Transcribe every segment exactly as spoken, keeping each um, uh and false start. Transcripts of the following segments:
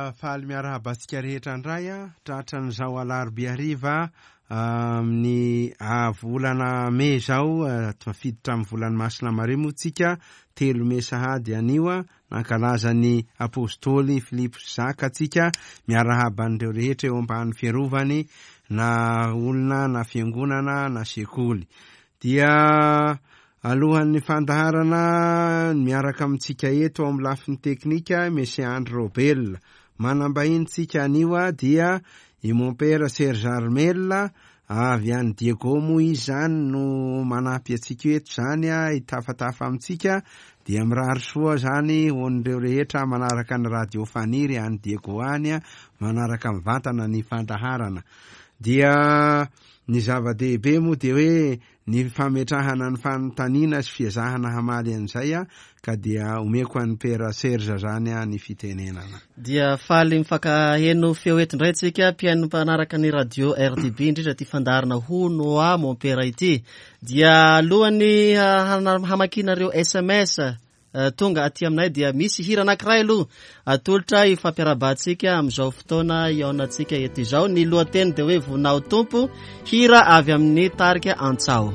Dia faly miarahaba antsika rehetra indray a, tratran'izao alarobia hariva amin'ny volana mey izao, tafiditra amin'ny volan'ny Masina Maria moa tsika, telo mey sahady anio a, nankalaza ny apôstôly Filipo sy Zaka antsika, miarahaba an'ireo rehetra eo ambany fiarovany, na olona, na fiangonana, na sekoly. Dia alohan'ny fandaharana miaraka amintsika eto amin'ny lafiny teknika, Monsieur Andry Robel. Manambahiny tsika anio a dia i mon père Serge Armel, avy any Diego moa izy zany no manampy antsika eto zany a, hitafatafa amintsika. Dia mirary soa zany ho an'ireo rehetra manaraka ny Radio Faniry any Diego any a, manaraka mivantana ny fandaharana. Dia ny zava-dehibe moa dia hoe ny fametrahana ny fanontaniana sy fiezahana hamaly an'izay a, ka dia omeko an'ny Père Serge zany a ny fitenenana. Dia faly mifankaheno feo eto indray tsika mpihaino mpanaraka ny Radio R D B, indrindra ty fandaharana Hono Hoa Mon Père ity. Dia alohan'ny hamakianareo S M S tonga aty aminay dia misy hira anankiray aloha atolotra ifampiarahabantsika amin'izao fotoana hihaonantsika eto izao. Ny lohateny dia hoe Vonao Tompo, hira avy amin'ny tarika Antsao.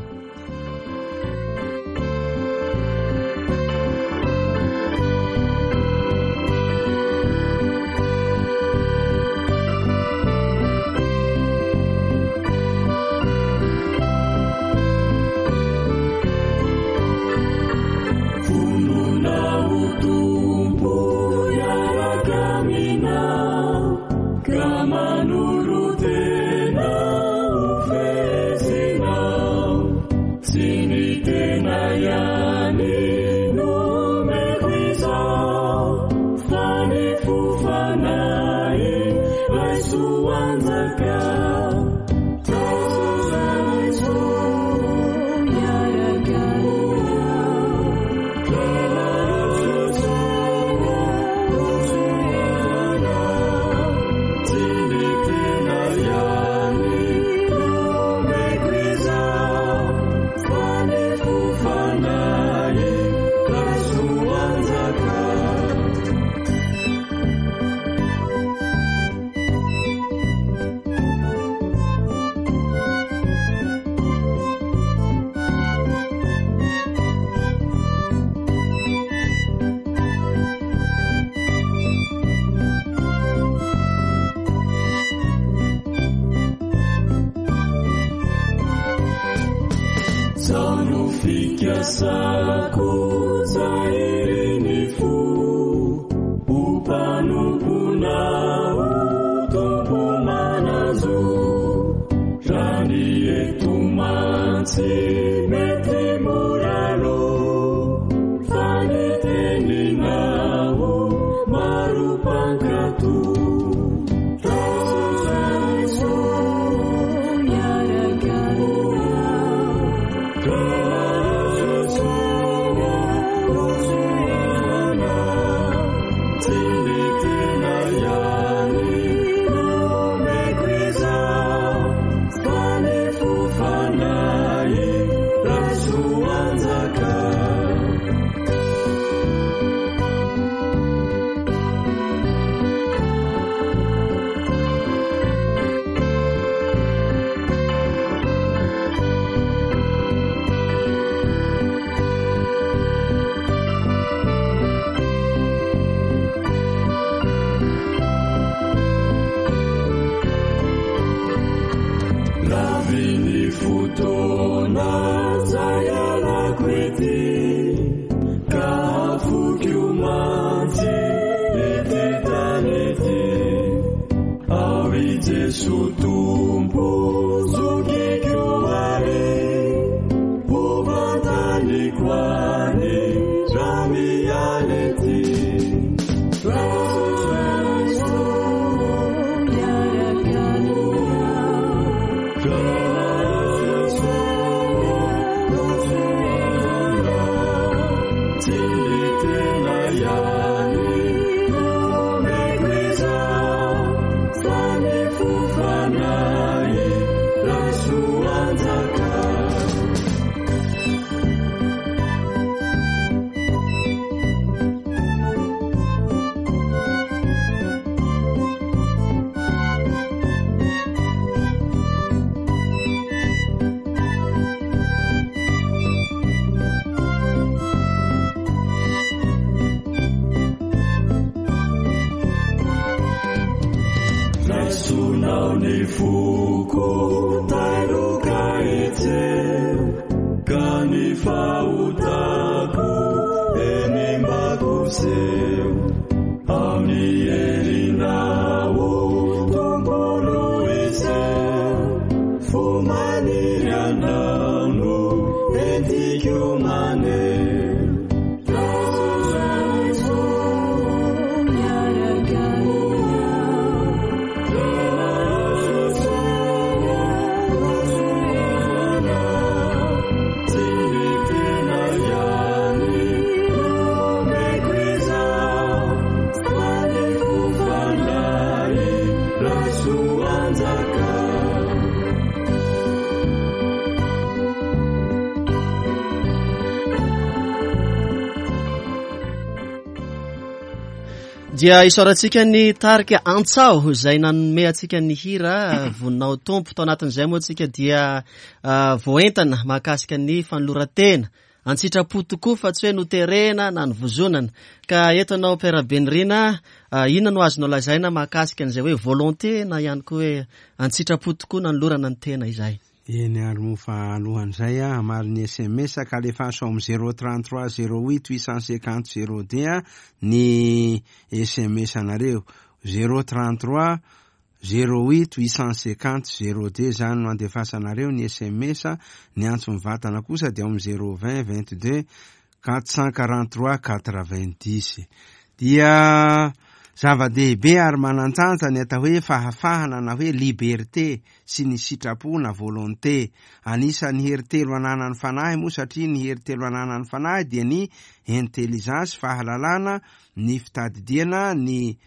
foko tairoka etseo ka ny fahotako eny mbakoseo amin'ny herinao Tompo iseo fo maniry anao no entiko maneho. Dia isaorantsika ny tarika Antsao izay nanome antsika ny hira Voninao Tompo. Tao anatin'izay moa tsika dia voaentana mahakasika ny fanoloran-tena antsitrapo tokoa fa tsy hoe noterena na nivozonana. Ka eto anao Père Benirina, inona no azonao lazaina mahakasika an'izay hoe volonté na ihany koa hoe antsitrapo tokoa nanolorana ny tena izay? Eny ary moa fa alohan'izay a hamaly ny S M S ka alefaso amin'ny zéro trente-trois zéro huit huit cent cinquante zéro deux ny S M S anareo. Zéro trente-trois zéro huit huit cent cinquante zéro deux zany no andefasanareo ny S M S. Ny antso mivantana kosa dia ao amin'ny zéro vingt vingt-deux quatre cent quarante-trois quatre-vingt-dix. Dia zava-dehibe ary manan-danja ny atao hoe fahafahana na hoe liberté sy ny sitrapo na volonté. Anisan'ny hery telo ananan'ny fanahy moa, satria ny hery telo ananan'ny fanahy dia ny intelligence, fahalalana, ny fitadidiana, ny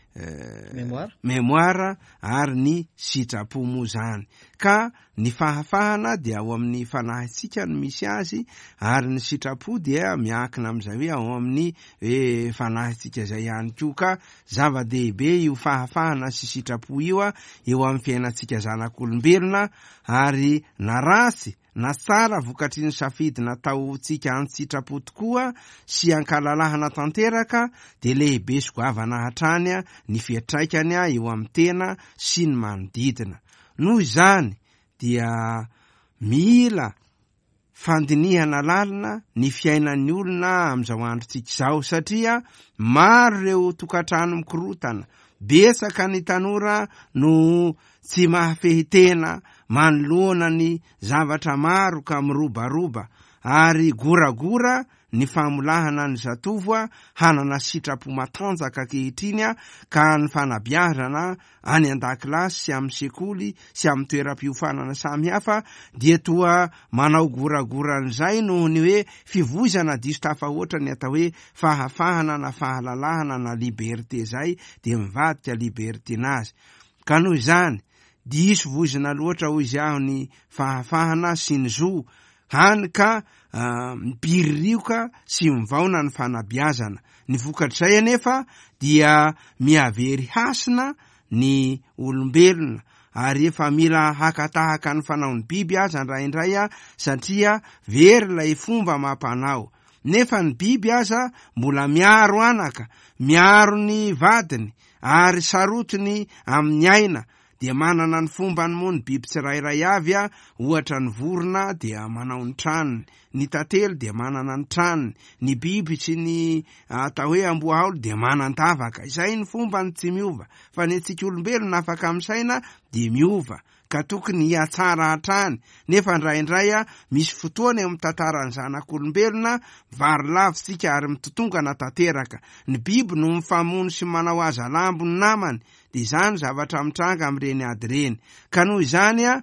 mémoire, mémoire ary ny sitrapo moa zany. Ka ny fahafahana dia ao amin'ny fanahintsika no misy azy, ary ny sitrapo dia miankina amin'izay hoe ao amin'ny hoe fanahintsika izay ihany koa. Ka zava-dehibe io fahafahana sy sitrapo io a eo amin'ny fiainantsika zanak'olombelona, ary na ratsy na tsara vokatry ny safidy nataontsika an-tsitrapo tokoa sy ankalalahana tanteraka dia lehibe sy goavana hatrany ny fiantraikany eo amin'ny tena sy ny manodidina. Noho izany dia mila fandinihana lalina ny fiainan'ny olona amin'izao androntsika izao, satria maro ireo tokantrano mikorotana, betsaka ny tanora no tsy mahafehy tena manoloana ny zavatra maro ka mirobaroba, ary goragora ny famolahana ny zatovo hanana sitrapo matanjaka ankehitriny, ka ny fanabeazana any an-dakilasy sy amin'ny sekoly sy amin'ny toeram-piofanana samihafa dia toa manao goragoran'izay noho ny hoe fivoizana diso tafahoatra ny atao hoe fahafahana na fahalalahana na liberté zay dia mivadika libertinage. Ka noho izany diso voizina loatra hoy izy aho ny fahafahana sy ny zo, hany ka mipiririoka sy mivaona ny fanabeazana. Ny vokatr'izay anefa dia mihavery hasina ny olombelona, ary efa mila hakatahaka ny fanaon'ny biby aza indraindray a, satria very ilay fomba mampanao. Nefa ny biby aza mbola miaro anaka, miaro ny vadiny ary sarotiny amin'ny aina. Dia manana ny fombany moa ny biby tsirairay avy a, ohatra ny vorona dia manao ny tranony, ny tantely dia manana ny tranony, ny biby sy ny atao hoe amboahaolo dia manan-tavaka. Izay ny fombany tsy miova, fa ny antsika olombelona afaka misaina dia miova, ka tokony hiatsara hatrany. Nefa indraindray a misy fotoana eo amin'ny tantaran'ny zanak'olombelona vary lavitsika ary mitotongana tanteraka. Ny biby no mifamono sy manao hazalambo ny namany, dia izany zavatra mitranga amin'ireny ady ireny. Ka noho izany a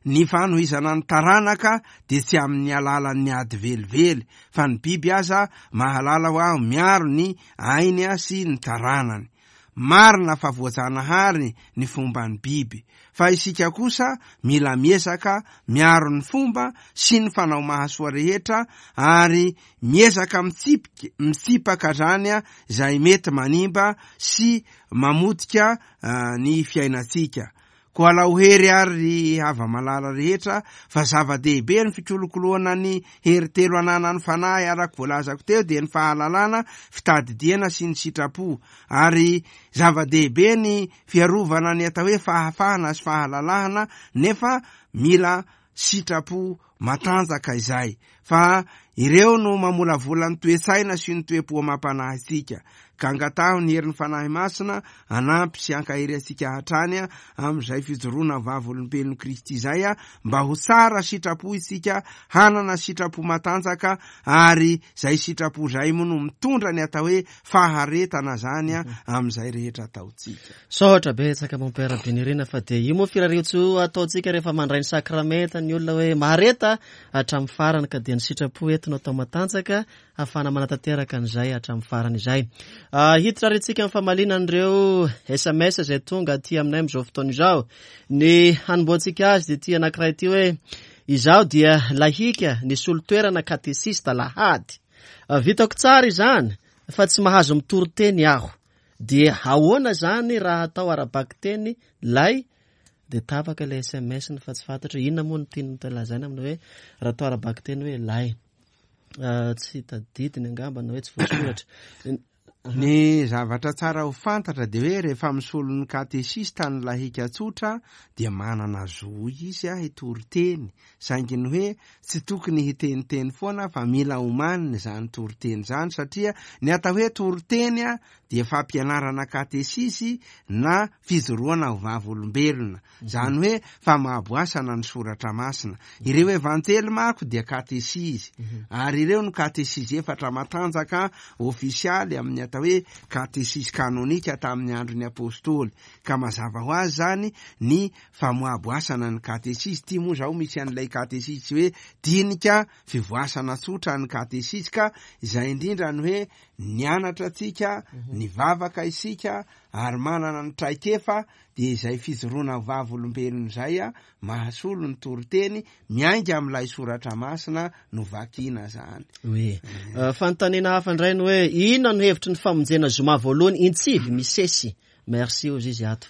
ny fanohizana ny taranaka dia tsy amin'ny alalan'ny ady velively, fa ny biby aza mahalala ho aho miaro ny ainy sy ny taranany. Marina fa voajanahary ny fomban'ny biby, fa isika kosa mila miezaka miaro ny fomba sy ny fanao mahasoa rehetra, ary miezaka mitsipika, mitsipaka zany izay mety manimba sy mamotika uh, ny fiainantsika. Koa alao hery ary ry hava-malala rehetra, fa zava-dehibe ny fikolokoloana ny hery telo ananan'ny fanahy araka voalazako teo, dia ny fahalalana, fitadidiana sy ny sitrapo. Ary zava-dehibe ny fiarovana ny atao hoe fahafahana sy fahalalahana, nefa mila sitrapo matanjaka izay, fa ireo no mamolavola ny toe-tsaina sy ny toe-po amam-panahy antsika. Ka angataho ny herin'ny Fanahy Masina anampy sy ankahery antsika hatrany amin'izay fijoroana vavolombelon'i Kristy izay, mba ho tsara sitrapo isika, hanana sitrapo matanjaka, ary izay sitrapo izay moa no mitondra ny atao hoe faharetana zany amin'izay rehetra ataontsika. Saotra betsaka Mompera Benirina, fa dia io moa firariantsoa ataontsika rehefa mandray ny sakramenta ny olona hoe mahareta hatramin'ny farany, ka dia ny sitrapo eto no atao matanjaka ahafahana manatanteraka an'izay hatramin'ny farany izay. Hiditra ary isika amin'ny famaliana an'ireo S M S izay tonga aty aminay amin'izao fotoana izao. Ny hanombohantsika azy dia ity anankiray ity hoe izaho dia lahika nisolo toerana katesista lahady. Vitako tsara izany fa tsy mahazo mitory teny aho. Dia ahoana izany raha atao ara-bakiteny lay? Dia tapaka ilay S M S ny fa tsy fantatra inona moa no tiany lazaina amin'ny hoe raha atao ara-bakiteny hoe lay. Tsy tadidiny angamba na hoe tsy voasoratra. Ny zavatra tsara ho fantatra dia hoe rehefa misolo ny katesista ny lahika tsotra dia manana zo izy hitory teny, saingy ny hoe tsy tokony hiteniteny foana fa mila omanina izany toriteny izany, satria ny atao hoe toriteny dia fampianarana katesisy na fijoroana ho vavolombelona, izany hoe famahaboasana ny soratra masina. Ireo evanjely manko dia katesisy, ary ireo no katesisy efatra matanjaka ofisialy amin'ny atao hoe katesisy kanonika tamin'ny andron'ny apôstôly. Ka mazava ho azy zany ny famoaboasana ny katesisy. Ty moa zao misy an'ilay katesisy hoe dinika fivoasana tsotra ny katesisy, ka izay indrindra ny hoe nianatra antsika, nivavaka isika ary manana ny traikefa, dia izay fijoroana vavolombelona izay a mahasolo ny toriteny miainga amin'ilay soratra masina no vakina zany. Oe. Fanontaniana hafa indray ny hoe inona no hevitry ny famonjena zoma voalohany intsivy misesy? Merci ozy izy ato.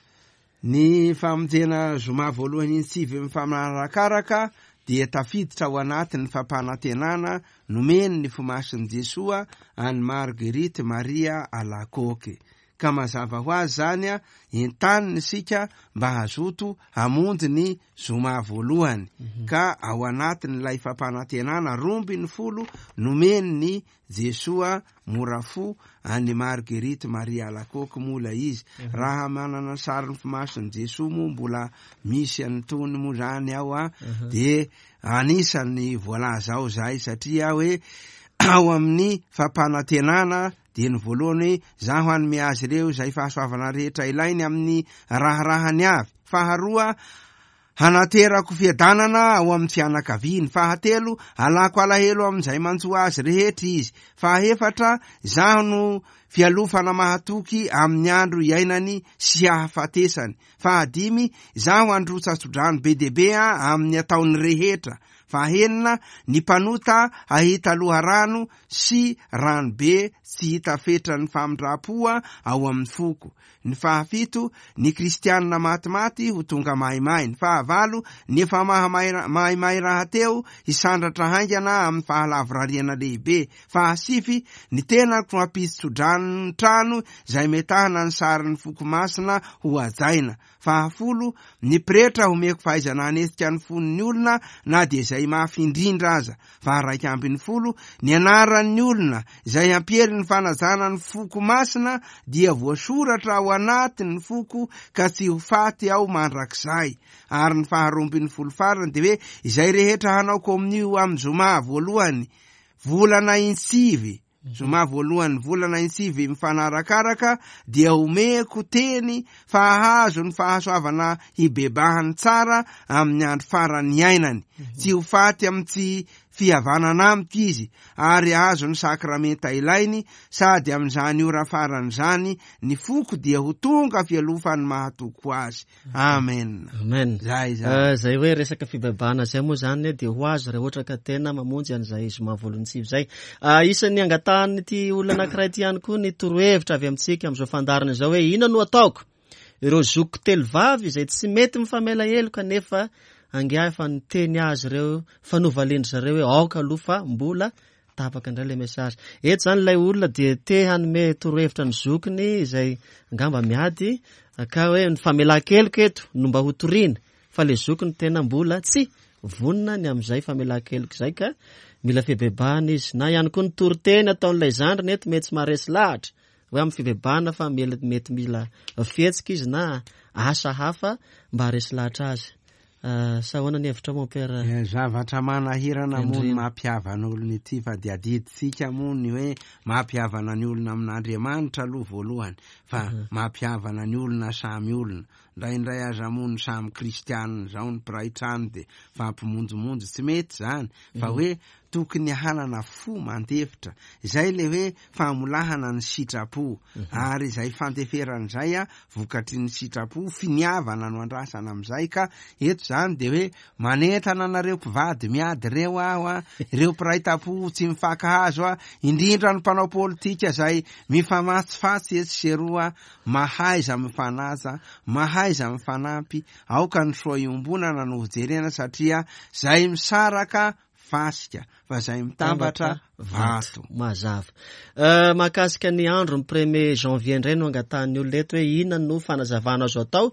Ny famonjena zoma voalohany intsivy mifanarakaraka dia tafiditra ao anatin'ny fampanantenana nomeny ny fomasin'i Jesoa an'i Marguerite Maria Alacoque. Ka mazava ho azy zany a, entanina isika mba hazoto hamonjy ny zoma voalohany. Ka ao anatin'ilay fampanantenana roa ambin'ny folo nomeny ny Jesoa mora fo an'i Marguerite Maria Alacoque moa ilay izy. Raha manana sarin'ny fomasin'i Jesoa moa mbola misy an'itony moa zany ao a, dia anisan'ny voalaza ao zay, satria hoe ao amin'ny fampanantenana dia ny voalohany hoe zaho hanome azy ireo izay fahasoavana rehetra ilainy amin'ny raharahany avy. Faharoa, hanaterako fiadanana ao amin'ny fianakaviany. Fahatelo, alako alahelo amin'izay manjo azy rehetra izy. Fahaefatra, zaho no fialofana mahatoky amin'ny andro iainany sy ahafatesany. Fahadimy, zaho handrotsa-tsodrano be dia be amin'ny ataony rehetra. Fahenina, ny mpanota hahita loharano sy rano be tsy hita fetran'ny famindram-po ao amin'ny foko. Ny fahafito, ny kristianina matimaty ho tonga maimay. Ny fahavalo, ny efa mahamay-, maimay rahateo hisandratra haingana amin'ny fahalavorariana lehibe. Fahasivy, ny tenako hampisy tsodrano trano izay metahana ny sarin'ny foko masina ho hajaina. Fahafolo, ny pretra homeko fahaizana hanetsika ny fon'ny olona na dia izay mafy indrindra aza. Faharaika ambin'ny folo, ny anaran'ny olona izay hampiely ny fanajana ny foko masina dia voasoratra ao anatin'ny foko ka tsy ho faty ao mandrakizay. Ary ny faharoa ambin'ny folo farany dia hoe izay rehetra hanao kominio amin'ny zoma voalohany volana insivy, zoma voalohany volana insivy mifanarakaraka dia omeko teny fa hahazo ny fahasoavana hibebahany tsara amin'ny andro farany iainany. Tsy ho faty amin'ny tsy fihavanana amiko izy, ary hahazo ny sakramenta ilainy, sady amin'izany ora farany izany ny foko dia ho tonga fialofany mahatoko azy. Amen. Amen. Zay zany. Eh, zay hoe resaka fibebahana zay moa zany dia ho azo raha ohatra ka tena mamonjy an'izay zoma voalohany sivy zay. Ah, isan'ny angatahan'ity olona anankiray ity ihany koa ny torohevitra avy amintsika amin'izao fandaharana izao hoe inona no ataoko? ireo zokiko telo vavy izay tsy mety mifamela heloka, nefa angaha efa niteny azy ireo, fa novalian-dry zareo hoe aoka aloha fa mbola tapaka indray ilay message. Eto izany ilay olona dia te hanome torohevitra ny zokiny izay angamba miady, ka hoe ny famelan-keloka eto no mba hotoriana, fa ilay zokiny tena mbola tsy vonona ny amin'izay famelan-keloka izay, ka mila fibebahana izy. Na ihany koa ny toriteny ataon'ilay zandriny eto mety tsy maharesy lahatra hoe amin'ny fibebahana, fa mety mila fihetsika izy na asa hafa mba haharesy lahatra azy. Sa ahoana ny hevitra mon père? Zavatra manahirana moa ny mampihavana olona ity, fa dia adidintsika moa ny hoe mampihavana ny olona amin'Andriamanitra aloha voalohany, fa mampihavana ny olona samy olona. Indraindray aza moa ny samy kristianina izao ny mpiray trano dia fampimonjimonjy, tsy mety izany, fa hoe tokony hanana fo mandefitra. Izay le hoe famolahana ny sitrapo, ary izay fandeferana izay a vokatry ny sitrapo, finiavana no andrasana amin'izay. Ka eto izany dia hoe manentana anareo mpivady miady ireo aho a, ireo mpiray tampo tsy mifankahazo a, indrindra ny mpanao politika izay mifamatsifatsy etsy sy eroa, mahaiza mifanaja, mahaiza mifanampy, aoka ny soa iombonana no hojerena, satria zay misaraka fasika, fa zay mitambatra vato. Mazava. Mahakasika ny andro ny premier janvier indray no angatahan'ny olona eto hoe inona no fanazavana azo atao,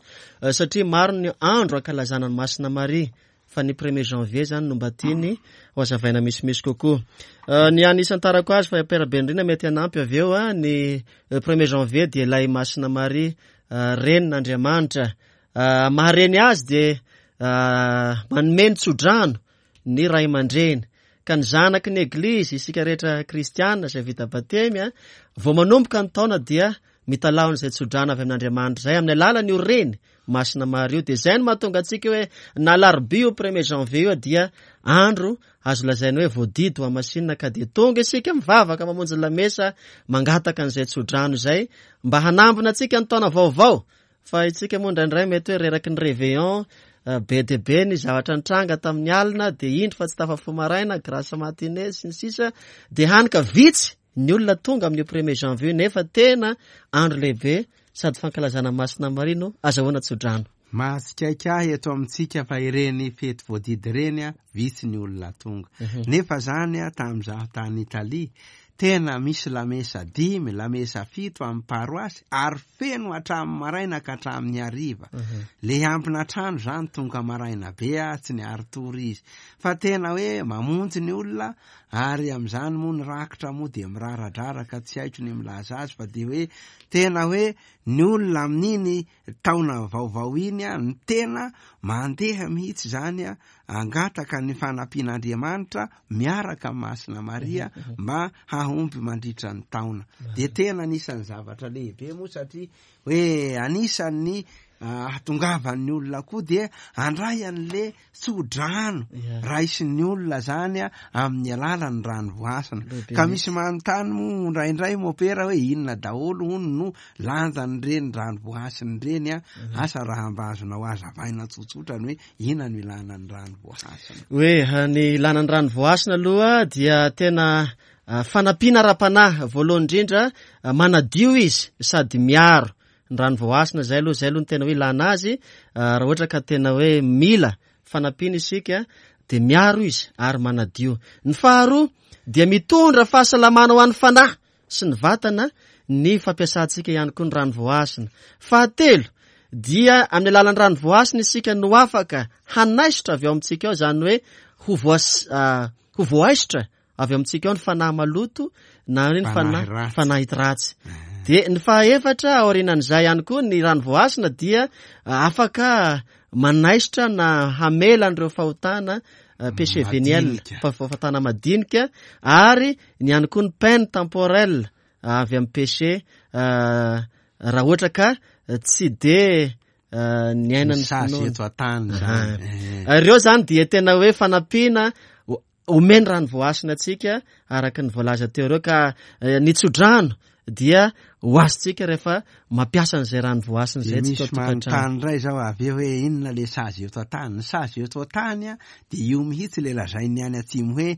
satria maro ny andro ankalazana ny Masina Maria, fa ny premier janvier zany no mba tiany ho azavaina misimisy kokoa. Ny anisantarako azy fa Père Benrina mety hanampy avy eo, ny premier janvier dia ilay Masina Maria renin'Andriamanitra. Mahareny azy dia manome ny tsodrano ny ray aman-dreny, ka ny zanaky ny eglizy isika rehetra kristiana izay vita batemy a, vao manomboka ny taona dia mitalaho an'izay tsodrano avy amin'Andriamanitra izay amin'ny alalan'io reny Masina Maria io. Dia izay no mahatonga antsika hoe na alarobia io premier janvier io dia andro azo lazaina hoe voadidy ho hamasinina, ka dia tonga isika mivavaka mamonjy lamesa mangataka an'izay tsodrano izay mba hanambina antsika ny taona vaovao. Fa isika moa indraindray mety hoe reraky ny réveillon, be dia be ny zavatra nitranga tamin'ny alina, dia indro fa tsy tafafoha maraina, grâce matinée sy ny sisa, dia hany ka vitsy ny olona tonga amin'io premier janvier, nefa tena andro lehibe sady fankalazana Masina Maria no azahoana tsodrano. Mahatsikaiky ahy eto amintsika fa ireny fety voadidy ireny a, vitsy ny olona tonga. Nefa zany a, tamin'izaho tany Italia, tena misy lamesa dimy, lamesa fito amin'ny paroasy, ary feno hatramin'ny maraina ka hatramin'ny hariva. Le ampina trano zany tonga maraina be a, tsy niari-tory izy. Fa tena hoe mamonjy ny olona, ary amin'izany moa ny rakitra moa dia miraradraraka, tsy haiko ny milaza azy, fa dia hoe tena hoe ny olona amin'iny taona vaovao iny a, ny tena mandeha mihitsy zany a, angataka ny fanampian'Andriamanitra miaraka amin'ny Masina Maria mba hahomby mandritra ny taona. Dia tena anisan'ny zavatra lehibe moa, satria hoe anisan'ny ahatongavan'ny olona koa dia andray an'le tsodrano raisin'ny olona zany a amin'ny alalan'ny rano voasina. Ka misy manontany moa indraindray mopera hoe inona daholo hono no lanjan'ireny rano voasina ireny a, asa raha mba azonao azavaina tsotsotra ny hoe inona no ilana ny rano voasina. Hoe ny ilana ny rano voasina aloha dia tena fanampiana ara-panahy voalohany indrindra, manadio izy sady miaro ny rano voasina. Zay aloha, zay aloha ny tena hoe ilana azy. Raha ohatra ka tena hoe mila fanampiana isika dia miaro izy ary manadio. Ny faharoa dia mitondra fahasalamana ho an'ny fanahy sy ny vatana ny fampiasantsika ihany koa ny rano voasina. Fahatelo dia amin'ny alalan'ny rano voasina isika no afaka hanaisotra avy ao amintsika ao, izany hoe ho voas-, ho voaisotra avy amintsika ao ny fanahy maloto na ny fanahy fanahy ratsy. Dia ny fahaefatra aorianan'izay ihany koa ny rano voasina dia afaka manaisotra na hamela an'ireo fahotana péché véniel, fahotana madinika, ary ny ihany koa ny peine temporelle avy amin'ny péché raha ohatra ka tsy de niaina ny sazy eto an-tany zany. Ireo zany dia tena hoe fanampiana omeny rano voasina antsika araka ny voalaza teo ireo, ka ny tsodrano dia ho azontsika rehefa mampiasa an'izay rano voasina izay. Misy manontany indray zao avy eo hoe inona le sazy eto an-tany. Ny sazy eto an-tany a dia io mihitsy le lazain'ny any atsimo hoe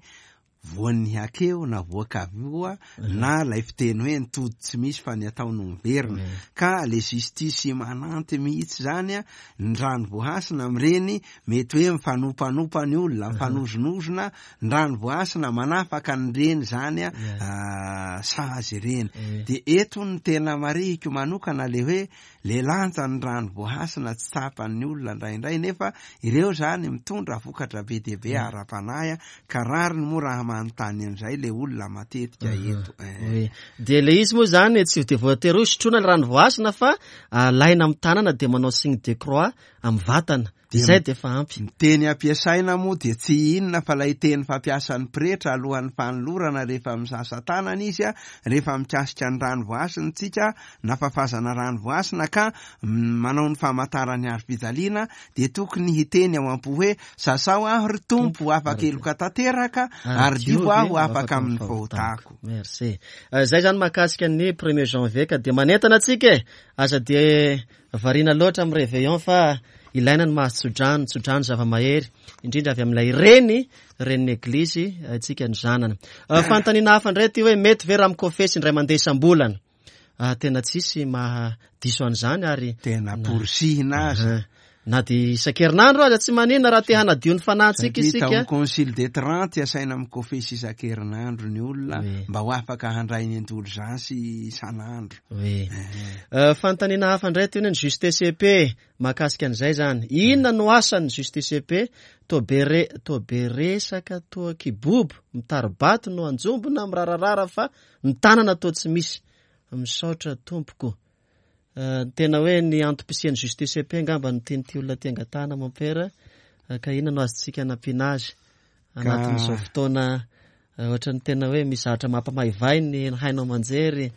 Voan'ny hakeo na voakavioa na lay fiteny hoe ny tody tsy misy fa ny atao no miverina. Ka le justice immanente mihitsy zany a, ny rano voahasina amin'ireny mety hoe mifanompanopa ny olona, mifanozonozona, ny rano voahasina manafaka an'ireny zany a sazy ireny. De eto ny tena marihiko manokana le hoe le lanja ny rano voahasina tsy tsapan'ny olona indraindray, nefa ireo zany mitondra vokatra be dia be ara-panahy, ka rariny moa raha manontany an'izay le olona matetika eto. Oui. De le izy moa zany tsy de voatery hoe sotroina le rano voahasina fa alaina amin'ny tanana de manao signe de croix amin'ny vatana. Zay de efa ampy. Ny teny ampiasaina moa de tsy inona fa lay teny fampiasan'ny pretra alohan'ny fanolorana rehefa misasa tanana izy a, rehefa mikasika ny rano voahasina tsika na fafazana rano voahasina ka manao ny famantarany hazo fijaliana, de tokony hiteny ao am-po hoe sasao aho ry Tompo afaka heloka tanteraka ary divo aho afaka amin'ny fahotako. Merci. Zay zany mahakasika ny premier janvier, ka de manentana antsika e, aza de variana loatra amin'ny réveillon fa ilaina ny mahazo tsodrano, tsodrano zava-mahery, indrindra avy amin'ilay reny, renin'ny eglizy antsika ny zanana. Fanontaniana hafa indray ty hoe mety ve raha mikofesy indray mandeha isam-bolana? Tena tsisy mahadiso an'izany ary tena porisihina aza. Na de isan-kerinandro aza tsy maninona raha te hanadio ny fanahintsika isika. Satria tao concile de Trente asaina mikofesy isan-kerinandro ny olona mba ho afaka handray ny indulgence isan'andro. Oui. Fanontaniana hafa indray ty hoe ny justice P mahakasika an'izay zany. Inona no asan'ny justice P? Toa be re-, toa be resaka, toa kibobo, mitari-bato no anjombona, mirararara fa ny tanana toa tsy misy. Misaotra tompoko. Tena hoe ny antom-pisian'ny justice P angamba no tian'ity olona ty angatahana mompera, ka inona no azontsika anampiana azy anatin'izao fotoana ohatran'ny tena hoe misy zavatra mampamaivay ny haino aman-jery.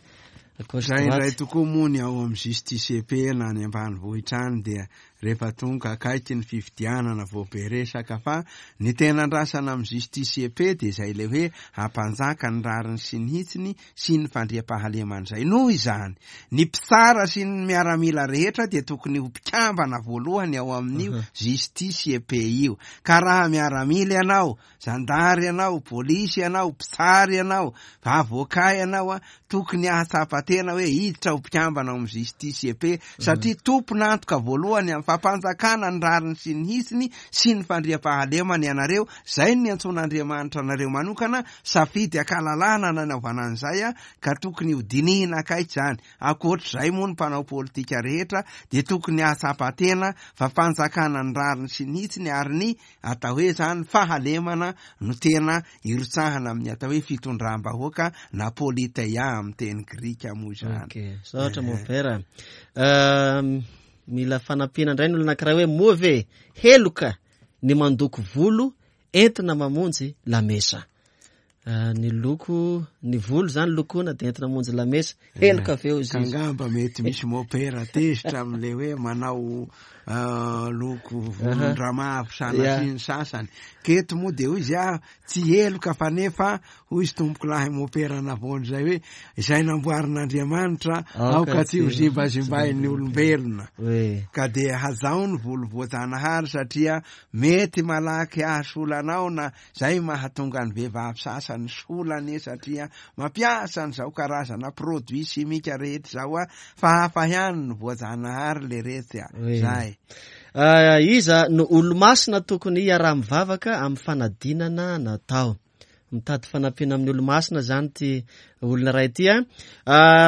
Zay indray tokoa moa ny ao amin'ny justice P na any ambanivohitra any dia rehefa tonga akaiky ny fifidianana vao be resaka, fa ny tena andrasana amin'ny justice P dia izay le hoe hampanjaka ny rariny sy ny hitsiny sy ny fandriampahalemana izay. Noho izany, ny mpitsara sy ny miaramila rehetra dia tokony ho mpikambana voalohany ao amin'io justice P io. Ka raha miaramila ianao, zandary ianao, polisy ianao, mpitsara ianao, avocat ianao, a, tokony hahatsapa tena hoe hiditra ho mpikambana ao amin'ny justice P, satria tompon'antoka voalohany amin'ny fampanjakana ny rariny sy ny hitsiny sy ny fandriampahalemana ianareo. Zay no niantsoan'Andriamanitra anareo manokana, safidy akalalana nanaovana an'izay, a, ka tokony ho dinihina akaiky izany. Ankoatr'izay moa ny mpanao politika rehetra dia tokony hahatsapa tena fa fanjakana ny rariny sy ny hitsiny ary ny atao hoe zany fahalemana no tena irotsahana amin'ny atao hoe fitondram-bahoaka na politeia amin'ny teny grika moa izany. Ok, saotra mompera. Mila fanampiana indray ny olona anankiray hoe moa ve heloka ny mandoko volo entina mamonjy lamesa? Ny loko, ny volo zany lokoina dia entina mamonjy lamesa. Heloka ve hozy izy? Angamba mety misy mopera tezitra amin'ilay hoe manao loko volon-dramavo sanatria ny sasany. Keto moa dia hoy izy, ah, tsy heloka fa nefa hoy izy tompoko lahy mopera navoany izay hoe izay namboarin'Andriamanitra aoka tsy ho zimbazimbain'ny olombelona. Ka dia hajao ny volo voajanahary satria mety malaky hahasolanao na zay mahatonga ny vehivavy sasany solany satria mampiasa an'izao karazana produit simika rehetra izao, a, fa hafa ihany ny voajanahary le retsy, a. Zay. Iza no olo-masina tokony hiaraha-mivavaka amin'ny fanadinana natao? Mitady fanampiana amin'ny olo-masina zany ty olona iray ty, a.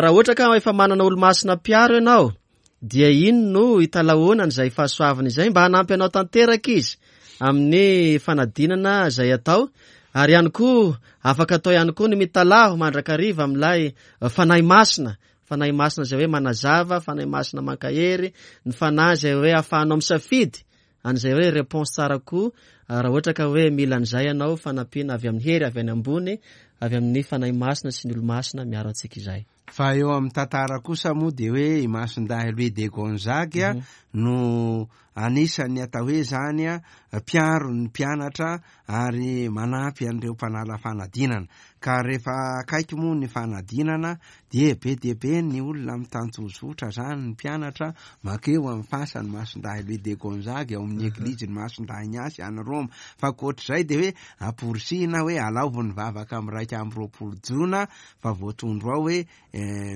Raha ohatra ka efa manana olo-masina mpiaro ianao, dia ino no hitalahoana an'izay fahasoavana izay mba hanampy anao tanteraka izy amin'ny fanadinana izay atao? Ary ihany koa afaka atao ihany koa ny mitalaho mandrakariva amin'ilay fanahy masina. Fanahy masina izay hoe manazava, fanahy masina mankahery, ny fanahy izay hoe ahafahanao misafidy an'izay hoe réponse tsara koa. Raha ohatra ka hoe mila an'izay ianao, fanampiana avy amin'ny hery avy any ambony, avy amin'ny fanahy masina sy ny olo-masina miaro antsika izay. Fa eo amin'ny tantara kosa moa dia hoe i Masindahy Louis de Gonzague no anisan'ny atao hoe zany, a, mpiaro ny mpianatra ary manampy an'ireo mpanala fanadinana. Ka rehefa akaiky moa ny fanadinana dia be dia be ny olona mitanjozotra zany, ny mpianatra makeo amin'ny fasany Masindahy Louis de Gonzague ao amin'ny eglizy ny Masindahy Ignace any Roma. Fa ankoatr'izay dia hoe amporisihina hoe alaovy ny vavaka amin'ny iraika amby roapolo jona, fa voatondro ao hoe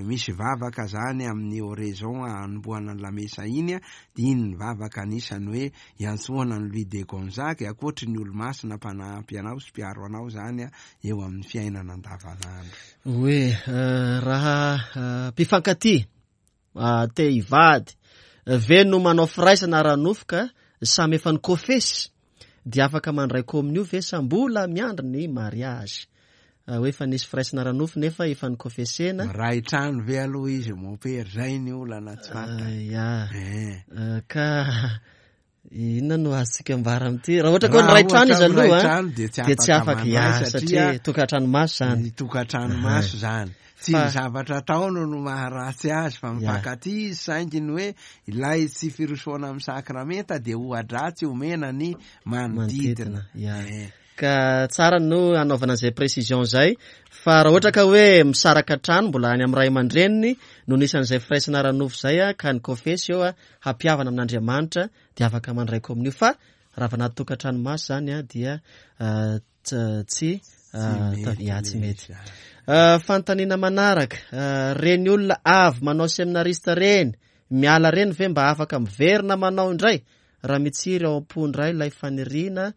misy vavaka zany amin'ny oraison anombohana ny lamesa iny, dia iny ny vavaka anisany hoe iantsoana ny Louis de Gonzague ankoatry ny olo-masina mpanampy anao sy mpiaro anao zany eo amin'ny fiainana andavanandro. Hoe raha mpifankatia te hivady ve no manao firaisana ara-nofo ka samy efa nikofesy dia afaka mandray kominio ve sa mbola miandry ny mariage? Hoe efa nisy firaisana ara-nofo nefa efa nikofesena. Miray trano ve aloha izy mompera, zay ny olana tsy fantatra. Ya. Ka inona no azontsika ambara amin'ity? Raha ohatra ka hoe niray trano izy aloha dia tsy afaka ya, satria tokantrano maso zany. Ny tokantrano maso zany. Tsy ny zavatra ataony no maharatsy azy fa mifankatia izy, saingy ny hoe ilay tsy firosoana amin'ny sakramenta dia oha-dratsy omena ny manodidina. Ya. Ka tsara no hanaovana izay précision zay, fa raha ohatra ka hoe misaraka trano mbola any amin'ny ray aman-dreniny no nisan'izay firaisana ara-nofo zay a, ka ny kofesy eo a hampihavana amin'Andriamanitra dia afaka mandray kominio, fa raha vao anaty tokantrano maso zany a dia tsy ya tsy mety. Fanontaniana manaraka, reny olona avy manao seminarista reny miala reny ve mba afaka miverina manao indray raha mitsiry ao am-po indray ilay faniriana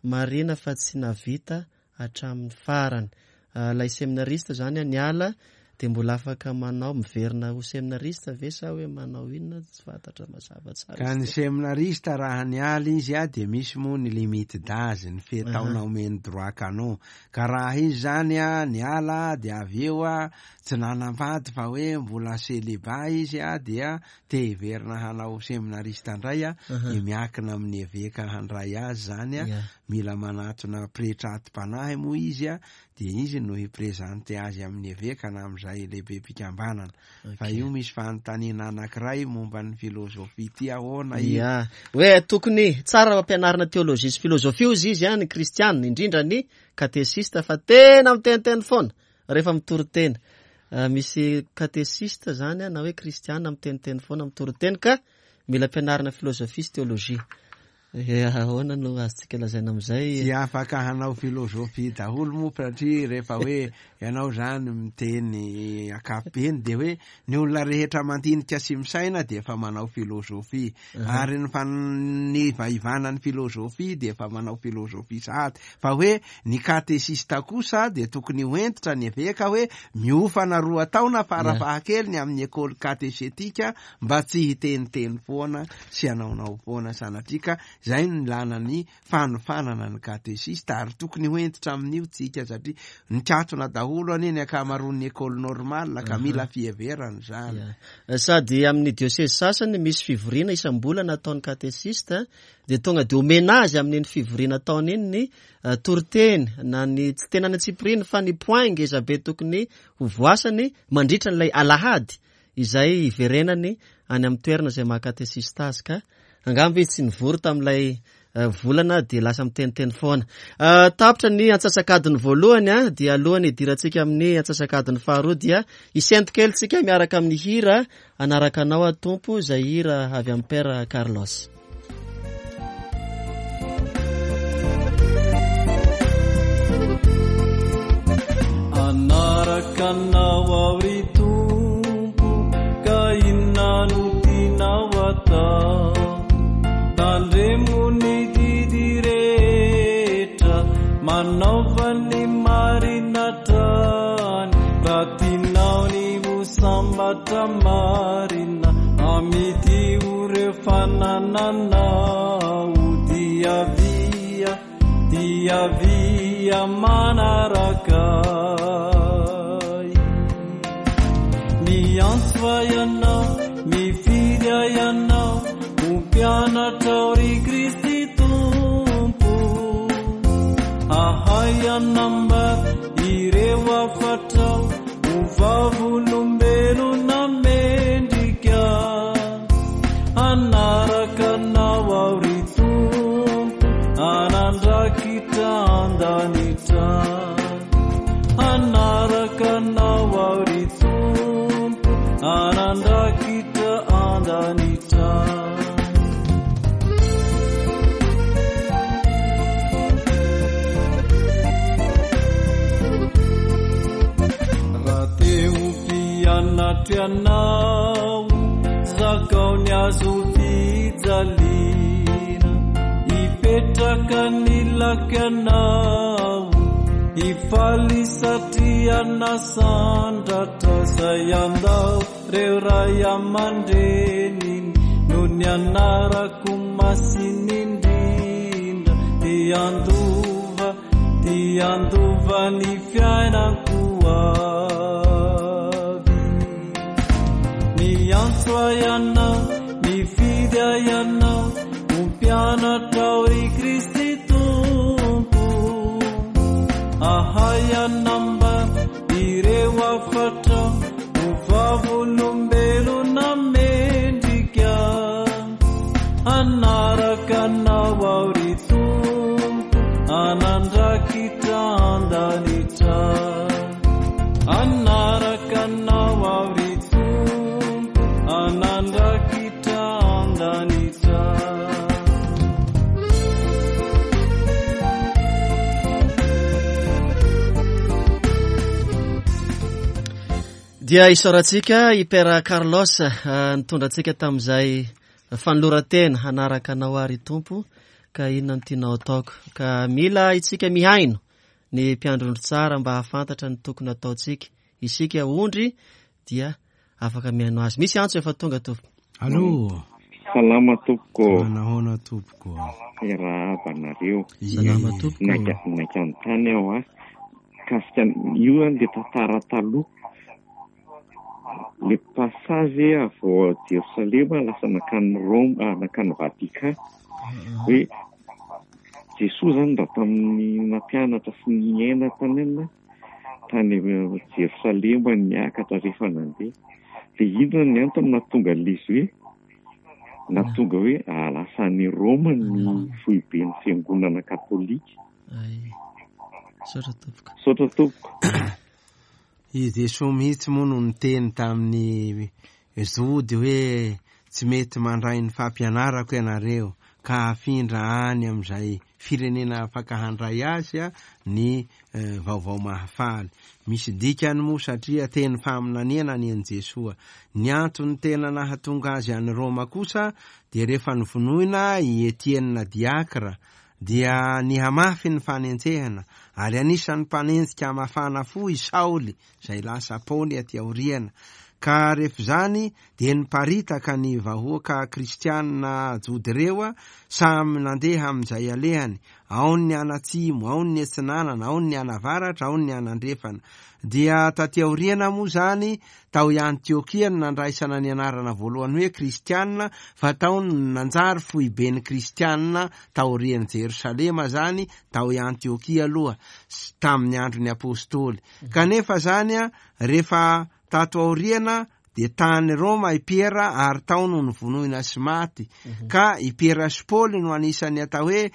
marina fa tsy navita hatramin'ny farany? Ilay seminarista zany a niala dia mbola afaka manao miverina ho seminarista ve sa hoe manao inona? Tsy fantatra mazava tsara. Ka ny seminarista raha niala izy a dia misy moa ny limite d'âge, ny fetaona omeny droit canon. Ka raha izy zany a niala dia avy eo a tsy nanambady fa hoe mbola célibat izy a dia te hiverina hanao seminarista indray a, dia miankina amin'ny eveka handray azy zany a, mila manatona pretra atim-panahy moa izy a, dia izy no hiprésente azy amin'ny eveka na amin'izay lehibe mpikambanana. Fa io misy fanontaniana anankiray momba ny filozofia ty ahoana io? Ya, hoe tokony tsara ampianarina teolojia sy filozofia ozy izy a, ny kristianina, indrindra ny katesista, fa tena miteniteny foana rehefa mitory teny. Misy katesista zany a, na hoe kristianina miteniteny foana mitory teny, ka mila ampianarina filozofia sy teolojia. Ahoana no azontsika lazaina amin'izay? Tsy afaka hanao filozofia daholo moa, satria rehefa hoe ianao zany miteny ankapobeny dia hoe ny olona rehetra mandinika sy misaina dia efa manao filozofia, ary ny fanivaivanany filozofia dia efa manao filozofia sahady. Fa hoe ny katesista kosa dia tokony ho hentitra ny eveka hoe miofana roa taona farafahakeliny amin'ny ekôly katesetika mba tsy hiteniteny foana sy hanaonao foana sanatria, ka zay no ilana ny fanofanana ny katesista, ary tokony ho hentitra amin'io tsika, satria nikatona daholo anie ny ankamaroan'ny école normale ka mila fiheverana zany. Sady amin'ny diocèse sasany misy fivoriana isam-bolana ataon'ny katesista, dia tonga dia omena azy amin'iny fivoriana ataony iny ny toriteny na ny tsy tena ny antsipiriany fa ny point ngeza be tokony ho voasany mandritra n'ilay alahady izay hiverenany any amin'ny toerana izay maha katesista azy, ka angamba izy tsy nivory tamin'ilay volana dia lasa miteniteny foana. Tapitra ny antsasakadiny voalohany a, dia alohany hidirantsika amin'ny antsasakadiny faharoa dia hisento kely tsika miaraka amin'ny hira Hanaraka Anao Aho Tompo, izay hira avy amin'ny Père Carlos. Hanaraka Anao aho ry Tompo, ka inona no tianao atao? Tandremo ny didy rehetra, manaova ny marina hatrany, raha tianao ny ho sambatra marina, amidio ireo fanananao, dia avia, dia avia manaraka ahy. Miantso ahy ianao, mifidy ahy ianao, ho mpianatra ao ry Kristy Tompo. Ahay hanambara ireo hafatrao, ho vavolombelona mendrika. Hanaraka Anao aho ry Tompo, hanandrakitra an-danitra. Anandrakitra an-danitra. Raha te ho mpianatra ianao, zakao ny hazo fijaliana, hipetraka ny lakanao, hifaly satria nasandratra izay andao reo ray aman-dreniny noho ny anarako masina indrindra, dia handova, dia handova ny fiainako avy. Miantso ahy ianao, mifidy ahy ianao, ho mpianatra ao ry Kristy Tompo. Ahay hanambara ireo hafatra, ho vavolombelona mendrika. Hanaraka anao aho ry Tompo, hanandrakitra an-danitra. Hanaraka anao aho ry Tompo, hanandrakitra an-danitra. Dia isaorantsika i Père Carlos nitondra antsika tamin'izay fanoloran-tena hanaraka anao ary Tompo, ka inona no tianao ataoko. Ka mila isika mihaino ny mpiandry ondry tsara mba hahafantatra ny tokony ataontsika. Isika ondry dia afaka mihaino azy. Misy antso efa tonga tompoko. Allo. Salama tompoko. Manahoana tompoko. Miarahaba anareo. Salama tompoko. Naika naika anontany aho a. Kasika io an le tantara taloha. Le passage avy ao Jerosalema lasa nankany Rome, nankany Vatican. Hoe Jesoa zany raha tamin'ny nampianatra sy niaina tany amina tany Jerosalema niakatra rehefa nandeha. Dia inona ny antony nahatonga an'izy hoe nahatonga hoe lasa any Roma ny foiben'ny fiangonana katolika. Ay. Saotra tompoko. Saotra tompoko. I Jesoa mihitsy moa no niteny tamin'ny Jody hoe tsy mety mandray ny fampianarako ianareo ka hafindra any amin'izay firenena afaka handray azy a ny vaovao mahafaly. Misy dikany moa satria teny faminaniana ny an'i Jesoa. Ny antony tena nahatonga azy any Roma kosa dia rehefa novonoina i Etienne diakra dia nihamafy ny fanenjehana ary anisan'ny mpanenjika mafana fo i Saoly izay lasa Paoly aty aoriana. Ka rehefa izany dia niparitaka ny vahoaka kristianina jody ireo samy nandeha amin'izay alehany, ao ny anatsimo, ao ny atsinanana, ao ny anavaratra, ao ny anandrefana. Dia taty aoriana moa zany tao Antiokia no nandraisana ny anarana voalohany hoe kristianina, fa tao no nanjary foiben'ny kristianina taorian'i Jerosalema zany tao Antiokia aloha tamin'ny andron'ny apôstôly. Kanefa zany a rehefa tato aoriana dia tany Roma i Piera ary tao no novonoina sy maty. Ka i Piera sy Paoly no anisan'ny atao hoe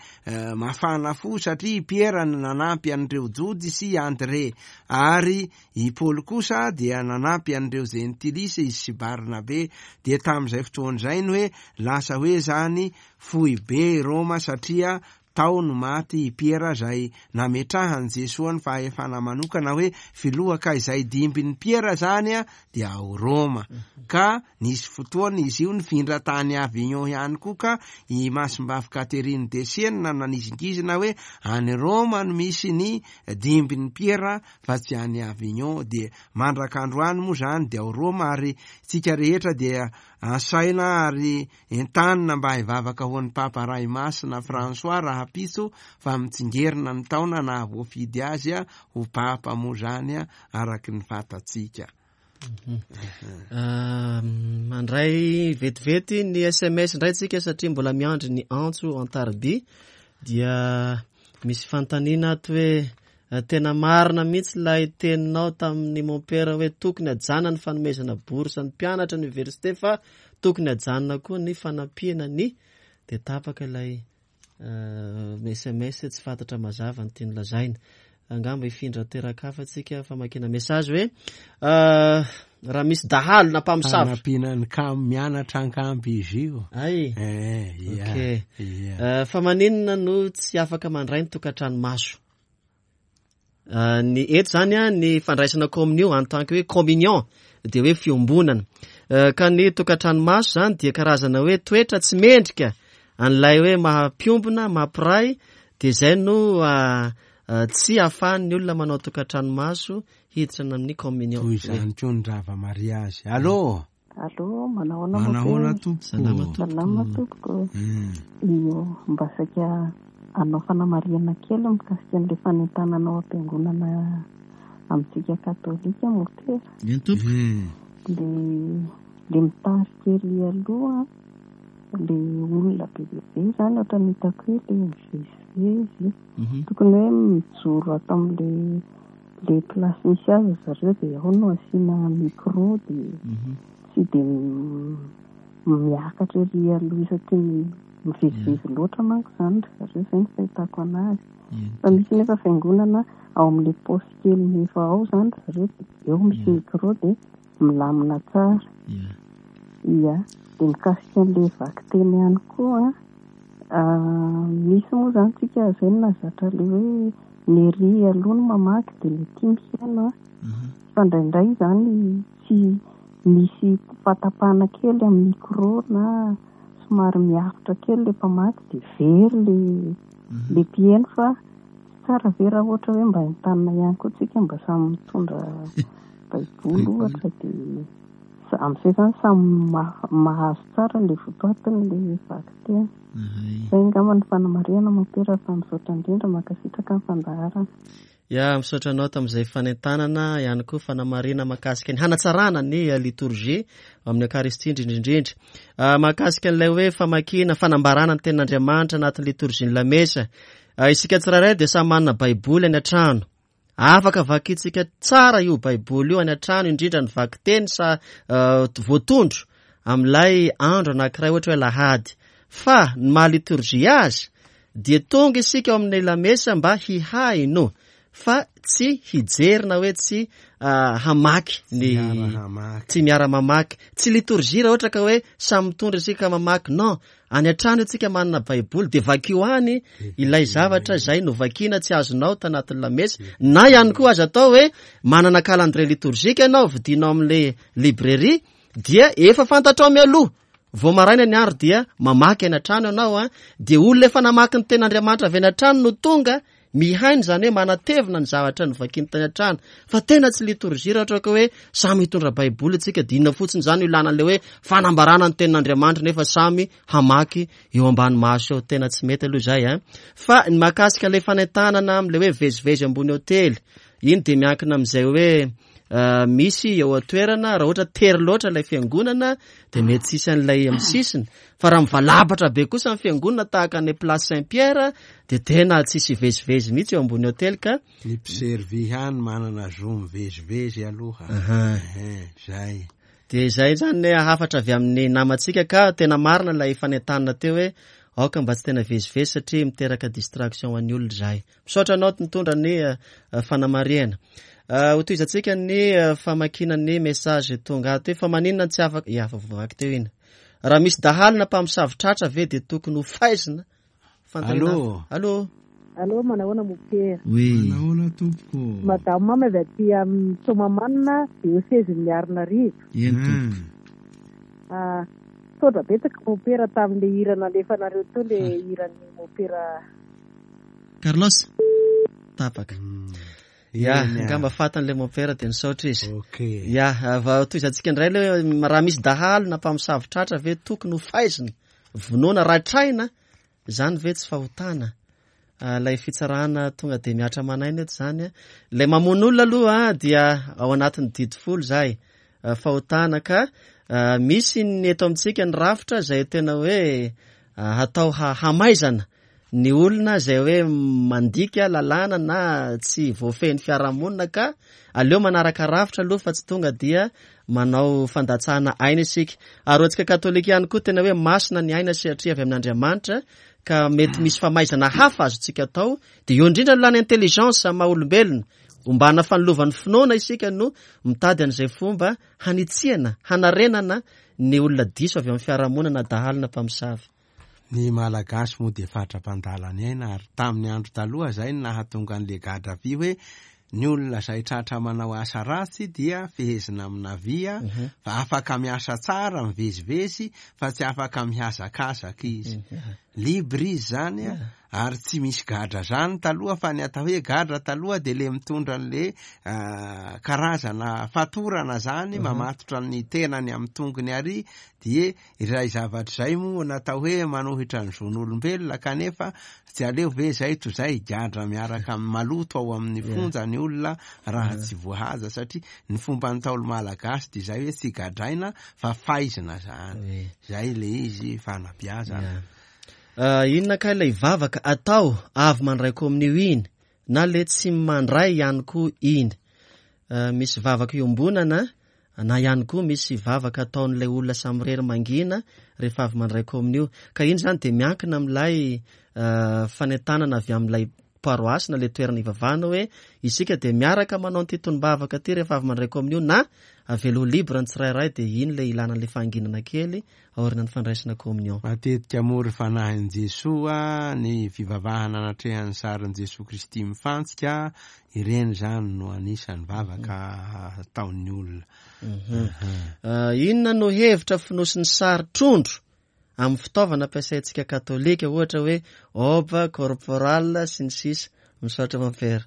mafana fo satria i Piera no nanampy an'ireo Jody sy André, ary i Paoly kosa dia nanampy an'ireo Jentilisy izy sy Barnabe. Dia tamin'izay fotoana izay no hoe lasa hoe zany foibe i Roma satria tao no maty i Piera izay nametrahan'i Jesoa ny fahefana manokana hoe filoha, ka izay dimbin'i Piera zany a dia ao Roma. Ka nisy fotoana izy io nifindra tany Avignon ihany koa, ka i Masimbavy Catherine de Siena nanizingizina hoe any Roma no misy ny dimbin'i Piera fa tsy any Avignon. Dia mandrak'androany moa zany dia ao Roma, ary tsika rehetra dia asaina ary entanina mba hivavaka ho an'ny Papa Ray Masina François rahampitso fa mitsingerina ny taona nahavoafidy azy a ho Papa moa zany a araky ny fantatsika. Mandray vetivety ny S M S indray tsika satria mbola miandry ny antso an-tariby. Dia misy fanontaniana ato hoe tena marina mihitsy ilay teninao tamin'ny mompera hoe tokony hajanona ny fanomezana bourse ny mpianatra ny université fa tokony hajanona koa ny fanampiana ny, dia tapaka ilay S M S tsy fantatra mazava ny tiany lazaina. Angamba hifindra teraka hafa tsika famakina message hoe Raha misy dahalo na mpamosavy. Fanampiana ny kamo mianatra ankampy izy io. Ay. Eh, ia, Ok. ia. Eh, fa maninona no tsy afaka mandray ny tokantrano maso? Eh, ny eto zany a, ny fandraisana communion en tant que hoe communion dia hoe fiombonana. Eh, ka ny tokantrano maso zany dia karazana hoe toetra tsy mendrika an'ilay hoe maha-mpiombona, maha-mpiray, dia izay no, ah, ah, tsy ahafahan'ny olona manao tokantrano maso hiditra amin'ny communion. Toy izany koa ny rava mariazy. Allô? Allô, manao ahoana Manao ahoana moa? tompoko? Salama tompoko. Salama tompoko. Mm. Io, mba saika hanao fanamarihana kely mikasika an'ilay fanentanana ao am-piangonana amintsika katolika motera. Eny tompoko. Mm. Le, le mitarika ery aloha, le olona be dia be zany ohatran'ny hitako hoe le mivezivezy. Mhm. Tokony hoe mijoro ato amin'le, le place misy azy zareo dia ao no asiana micro dia Mhm. tsy dia m-, miakatra ery aloha isaky ny mivezivezy loatra manko zany ry zareo, izay no fahitako anazy. Eny. Fa misy nefa fiangonana ao amin'le poste kely efa ao zany ry zareo dia eo misy Ia. micro dia milamina tsara. Ia. Ia, dia mikasika an'le vakiteny ihany koa, ah, misy moa zany tsika izay no nahazatra le hoe ny ery aloha no mamaky dia le tia mihaino a. Mhm. Fa indraindray zany tsy misy fatapahana kely amin'ny micro na somary miavotra kely le mpamaky dia very le, Mhm. le mpihaino, fa tsy tsara ve raha ohatra hoe mba entanina ihany koa tsika mba samy mitondra baiboly ohatra dia sa-, amin'izay zany samy ma-, mahazo tsara le votoatiny le vakiteny. Ahay. Izay angamba ny fanamarihana mompera, fa misaotra indrindra, mankasitraka ny fandaharana. Ya, misaotra anao tamin'izay fanentanana ihany koa fanamarihana mahakasika ny hanatsarana ny liturgie amin'ny Eucharistie indrindrindrindra. Ah, mahakasika an'ilay hoe famakiana, fanambarana ny tenin'Andriamanitra anatin'ny liturgie ny lamesa. Ah, isika tsirairay dia samy manana baiboly any an-trano. Afaka vakintsika tsara io baiboly io any an-trano, indrindra ny vakiteny sa, eh, voatondro amin'ilay andro anankiray ohatra hoe alahady. Fa ny maha liturgie azy dia tonga isika ao amin'ny lamesa mba hihaino, fa tsy hijery na hoe tsy, ah, hamaky ny Tsy miara-hamaky. tsy miara-mamaky. Tsy liturgie raha ohatra ka hoe samy mitondra isika mamaky. Non, any an-trano isika manana baiboly dia vakio any ilay zavatra izay novakiana tsy azonao tanatin'ny lamesa. Na ihany koa aza atao hoe manana calendrier liturgique ianao, vidinao amin'ilay librairie, dia efa fantatrao mialoha. Vao maraina ny andro dia mamaky any an-trano ianao, a, dia olona efa namaky ny tenin'Andriamanitra avy any an-trano no tonga mihaino, izany hoe manatevina ny zavatra novakiany tany an-trano. Fa tena tsy liturgie raha ohatra ka hoe samy hitondra baiboly isika, dia inona fotsiny izany io ilana an'ilay hoe fanambarana ny tenin'Andriamanitra nefa samy hamaky eo ambany maso eo. Tena tsy mety aloha izay, a. Fa ny mahakasika ilay fanentanana amin'ilay hoe vezivezy ambony hotely, iny dia miankina amin'izay hoe, eh, misy eo an-toerana. Raha ohatra tery loatra ilay fiangonana dia mety tsy hisy an'ilay amin'ny sisiny, fa raha mivalabatra be kosa ny fiangonana tahaka ny place Saint-Pierre dia tena tsy hisy vezivezy mihitsy eo ambony hotely ka. Ny mpiservy ihany manana zo mivezivezy aloha. Aha. Eh, zay. Dia izay zany ny hafatra avy amin'ny namantsika, ka tena marina ilay fanentanana teo hoe aoka mba tsy tena vezivezy satria miteraka distraction ho an'ny olona izay. Misaotra anao nitondra ny, eh, fanamarihana. Eh, ho tohizantsika ny, eh, famakiana ny message tonga ato hoe fa maninona tsy afaka, ia, fa voavaky teo iny. Raha misy dahalo na mpamosavy tratra ve dia tokony ho faizina? Fanontaniana Allô? hafa. Allô? Allô, manao ahoana mompera? Oui. Manao ahoana tompoko? Madame Mamy avy aty amin'ny Soamahamanina, diosezin'ny Miarinarivo. Eny tompoko. Hmm. Ah, misaotra betsaka mompera tamin'ilay hira nalefanareo teo, ilay hiran'ny mompera Carlos? Tapaka. Hmm. Ya, Eny, ah. angamba fatan'ilay mompera dia nisaotra izy. Ok. Ya, va tohizantsika indray ilay hoe raha misy dahalo na mpamosavy tratra ve tokony ho faizina, vonoana, ratraina, izany ve tsy fahotana? Ah, ilay fitsarana tonga dia mihatra manaina eto izany, a. Ilay mamono olona aloha, ah, dia ao anatin'ny didy folo izay, ah, fahotana ka, ah, misy ny eto amintsika ny rafitra izay tena hoe, ah, hatao ha-, hamaizana ny olona izay hoe mandika lalàna na tsy voafehin'ny fiarahamonina, ka aleo manaraka rafitra aloha fa tsy tonga dia manao fandatsahana aina isika. Ary ho antsika katolika ihany koa tena hoe masina ny aina satria avy amin'Andriamanitra, ka mety misy famaizana hafa azontsika atao, dia eo indrindra ny lany intelligence maha olombelona. Ombana fanilovan'ny finoana isika no mitady an'izay fomba hanitsiana, hanarenana ny olona diso avy amin'ny fiarahamonina na dahalo na mpamosavy. Ny Malagasy moa dia fatra-pandala ny aina, ary tamin'ny andro taloha izay no nahatonga an'ilay gadra vy hoe ny olona izay tratra manao asa ratsy dia fehezina amina vy, fa afaka miasa tsara mivezivezy fa tsy afaka mihazakazaka izy. Libre izy zany, ary tsy misy gadra zany taloha, fa ny atao hoe gadra taloha dia le mitondra an'le karazana fatorana zany, mamatotra ny tenany amin'ny tongony ary, dia izay zavatra izay moa natao hoe manohitra ny zon'olombelona, kanefa tsy aleo ve zay toy izay gadra miaraka amin'ny maloto ao amin'ny fonja ny olona raha tsy voahaza, satria ny fomba ntaolo malagasy dia izay hoe tsy gadraina fa faizina zany. Zay le izy fanabeazana. Inona ka ilay vavaka atao avy mandray kominio iny na le tsy mandray ihany koa iny? Misy vavaka iombonana na ihany koa misy vavaka ataon'ilay olona samirery mangina rehefa avy mandray kominio. Ka iny zany dia miankina amin'ilay fanentanana avy amin'ilay paroasy na le toerana ivavahana hoe isika dia miaraka manao an'ity tonom-bavaka ity rehefa avy mandray kominio, na avela ho libre ny tsirairay, dia iny ilay ilana an'ilay fahanginana kely aorian'ny fandraisana kominio. Matetika moa ry fanahin'i Jesoa ny fivavahana anatrehan'ny sarin'i Jesoa Kristy mifantsika, ireny zany no anisan'ny vavaka ataon'ny olona. Inona no hevitra fonosin'ny sary trondro amin'ny fitaovana ampiasaintsika katolika, ohatra hoe oba, corporal sy ny sisa? Misaotra mampera.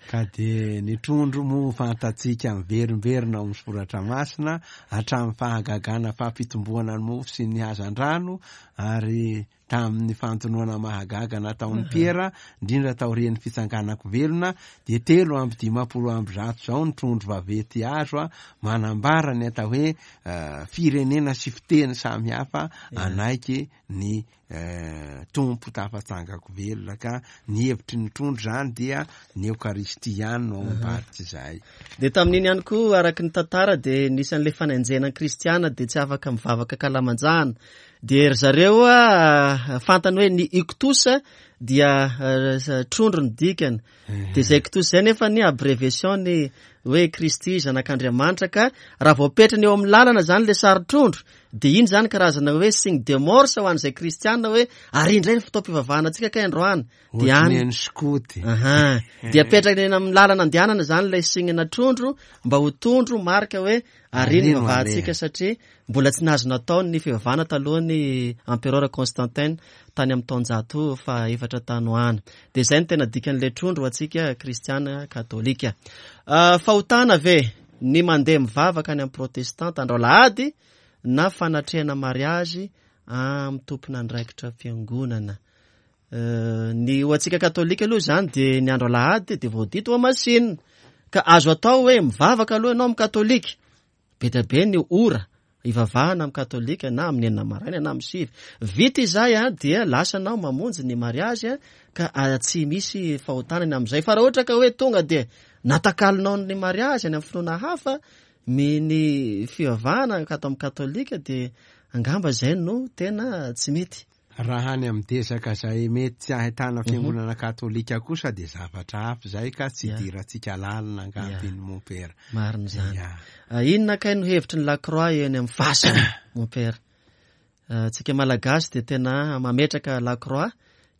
Ka dia ny trondro moa fantatsika miverimberina ao amin'ny soratra masina hatramin'ny fahagagana fampitomboana ny mofo sy ny hazandrano, ary tamin'ny fantonoana mahagaga nataon'ny Piera, indrindra taorian'ny fitsanganako velona, dia telo amby dimampolo amby zato izao ny trondro vaventy azo a, manambara ny atao hoe firenena sy fiteny samihafa anaiky ny Tompo tafatsangako velona. Ka ny hevitry ny trondro zany dia ny Eokaristia ihany no ao ambadika izay. Dia tamin'iny ihany koa, araka ny tantara, dia nisy an'ilay fanenjehana kristiana, dia tsy afaka mivavaka kalamanjana. Dia ry zareo a, fantany hoe ny ictus dia trondro ny dikany. Dia izay ictus izay nefa ny abréviation ny hoe Kristy zanak'Andriamanitra, ka raha voapetrany eo amin'ny lalana zany le sary trondro, dia iny zany karazana hoe signe de morse ho an'izay kristiana hoe ary indray ny fotoam-pivavahana antsika kay androany. Dia any ny skoty. Aha. Dia apetraka eny amin'ny lalana andehanana zany ilay signe na trondro mba ho tondro marika hoe ary ny vavahantsika, satria mbola tsy nahazo natao ny fivavahana talohan'ny empereur Constantin tany amin'ny taonjato fahaefatra tany ho any. Dia izay no tena dikan'ilay trondro ho antsika kristiana katolika. Fahotana ve ny mandeha mivavaka any amin'ny protestanta andro alahady na fanatrehana mariazy amin'ny tompon'andraikitra fiangonana? Ny ho antsika katolika aloha izany dia ny andro alahady dia voadidy ho masinina, ka azo atao hoe mivavaka aloha ianao amin'ny katolika. Be dia be ny ora ivavahana amin'ny katolika, na amin'ny enina maraina na amin'ny sivy. Vita izay a, dia lasa anao mamonjy ny mariazy a, ka tsy misy fahotana ny amin'izay. Fa raha ohatra ka hoe tonga dia natakalonao ny mariazy any amin'ny finoana hafa, ny fivavahana ato amin'ny katolika, dia angamba izay no tena tsy mety. Raha any amin'ny desaka izay mety tsy ahitana fiangonana katolika kosa dia zavatra hafa izay, ka tsy idirantsika lalina angamba iny mompera. Marina izany. Inona kay no hevitry ny Lacroix eny amin'ny fasana, mompera? Tsika Malagasy dia tena mametraka Lacroix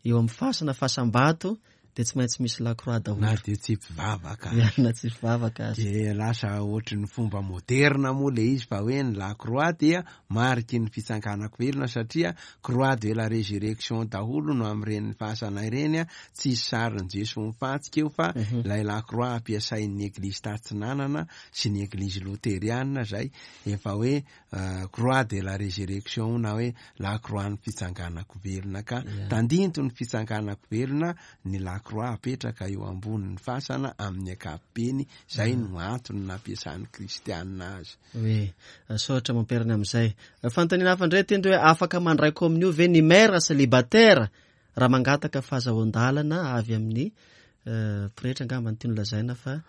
eo amin'ny fasana, fasam-bato, dia tsy maintsy misy Lacroix daholo. Na dia tsy mpivavaka. Ya, na tsy mpivavaka aza. Dia lasa ohatry ny fomba moderna moa le izy, fa hoe ny Lacroix dia mariky ny fitsanganako velona, satria croix de la résurrection daholo no amin'ireny fasana ireny, tsisy sarin'i Jesoa mifantsika eo, fa ilay Lacroix ampiasain'ny Eglizy Tatsinanana sy ny Eglizy Loteriana izay efa hoe croix de la résurrection na hoe Lacroix ny fitsanganako velona, ka tandinto ny fitsanganako velona ny Lacroix apetraka eo ambonin'ny fasana amin'ny ankapobeny. Izay no antony nampiasan'ny kristianina azy. Oui, saotra mamperiny amin'izay. Fanontaniana hafa indray tendry hoe afaka mandray kominio ve ny mère célibataire raha mangataka fahazahoan-dalana avy amin'ny pretra angamba ny tiany lazaina fa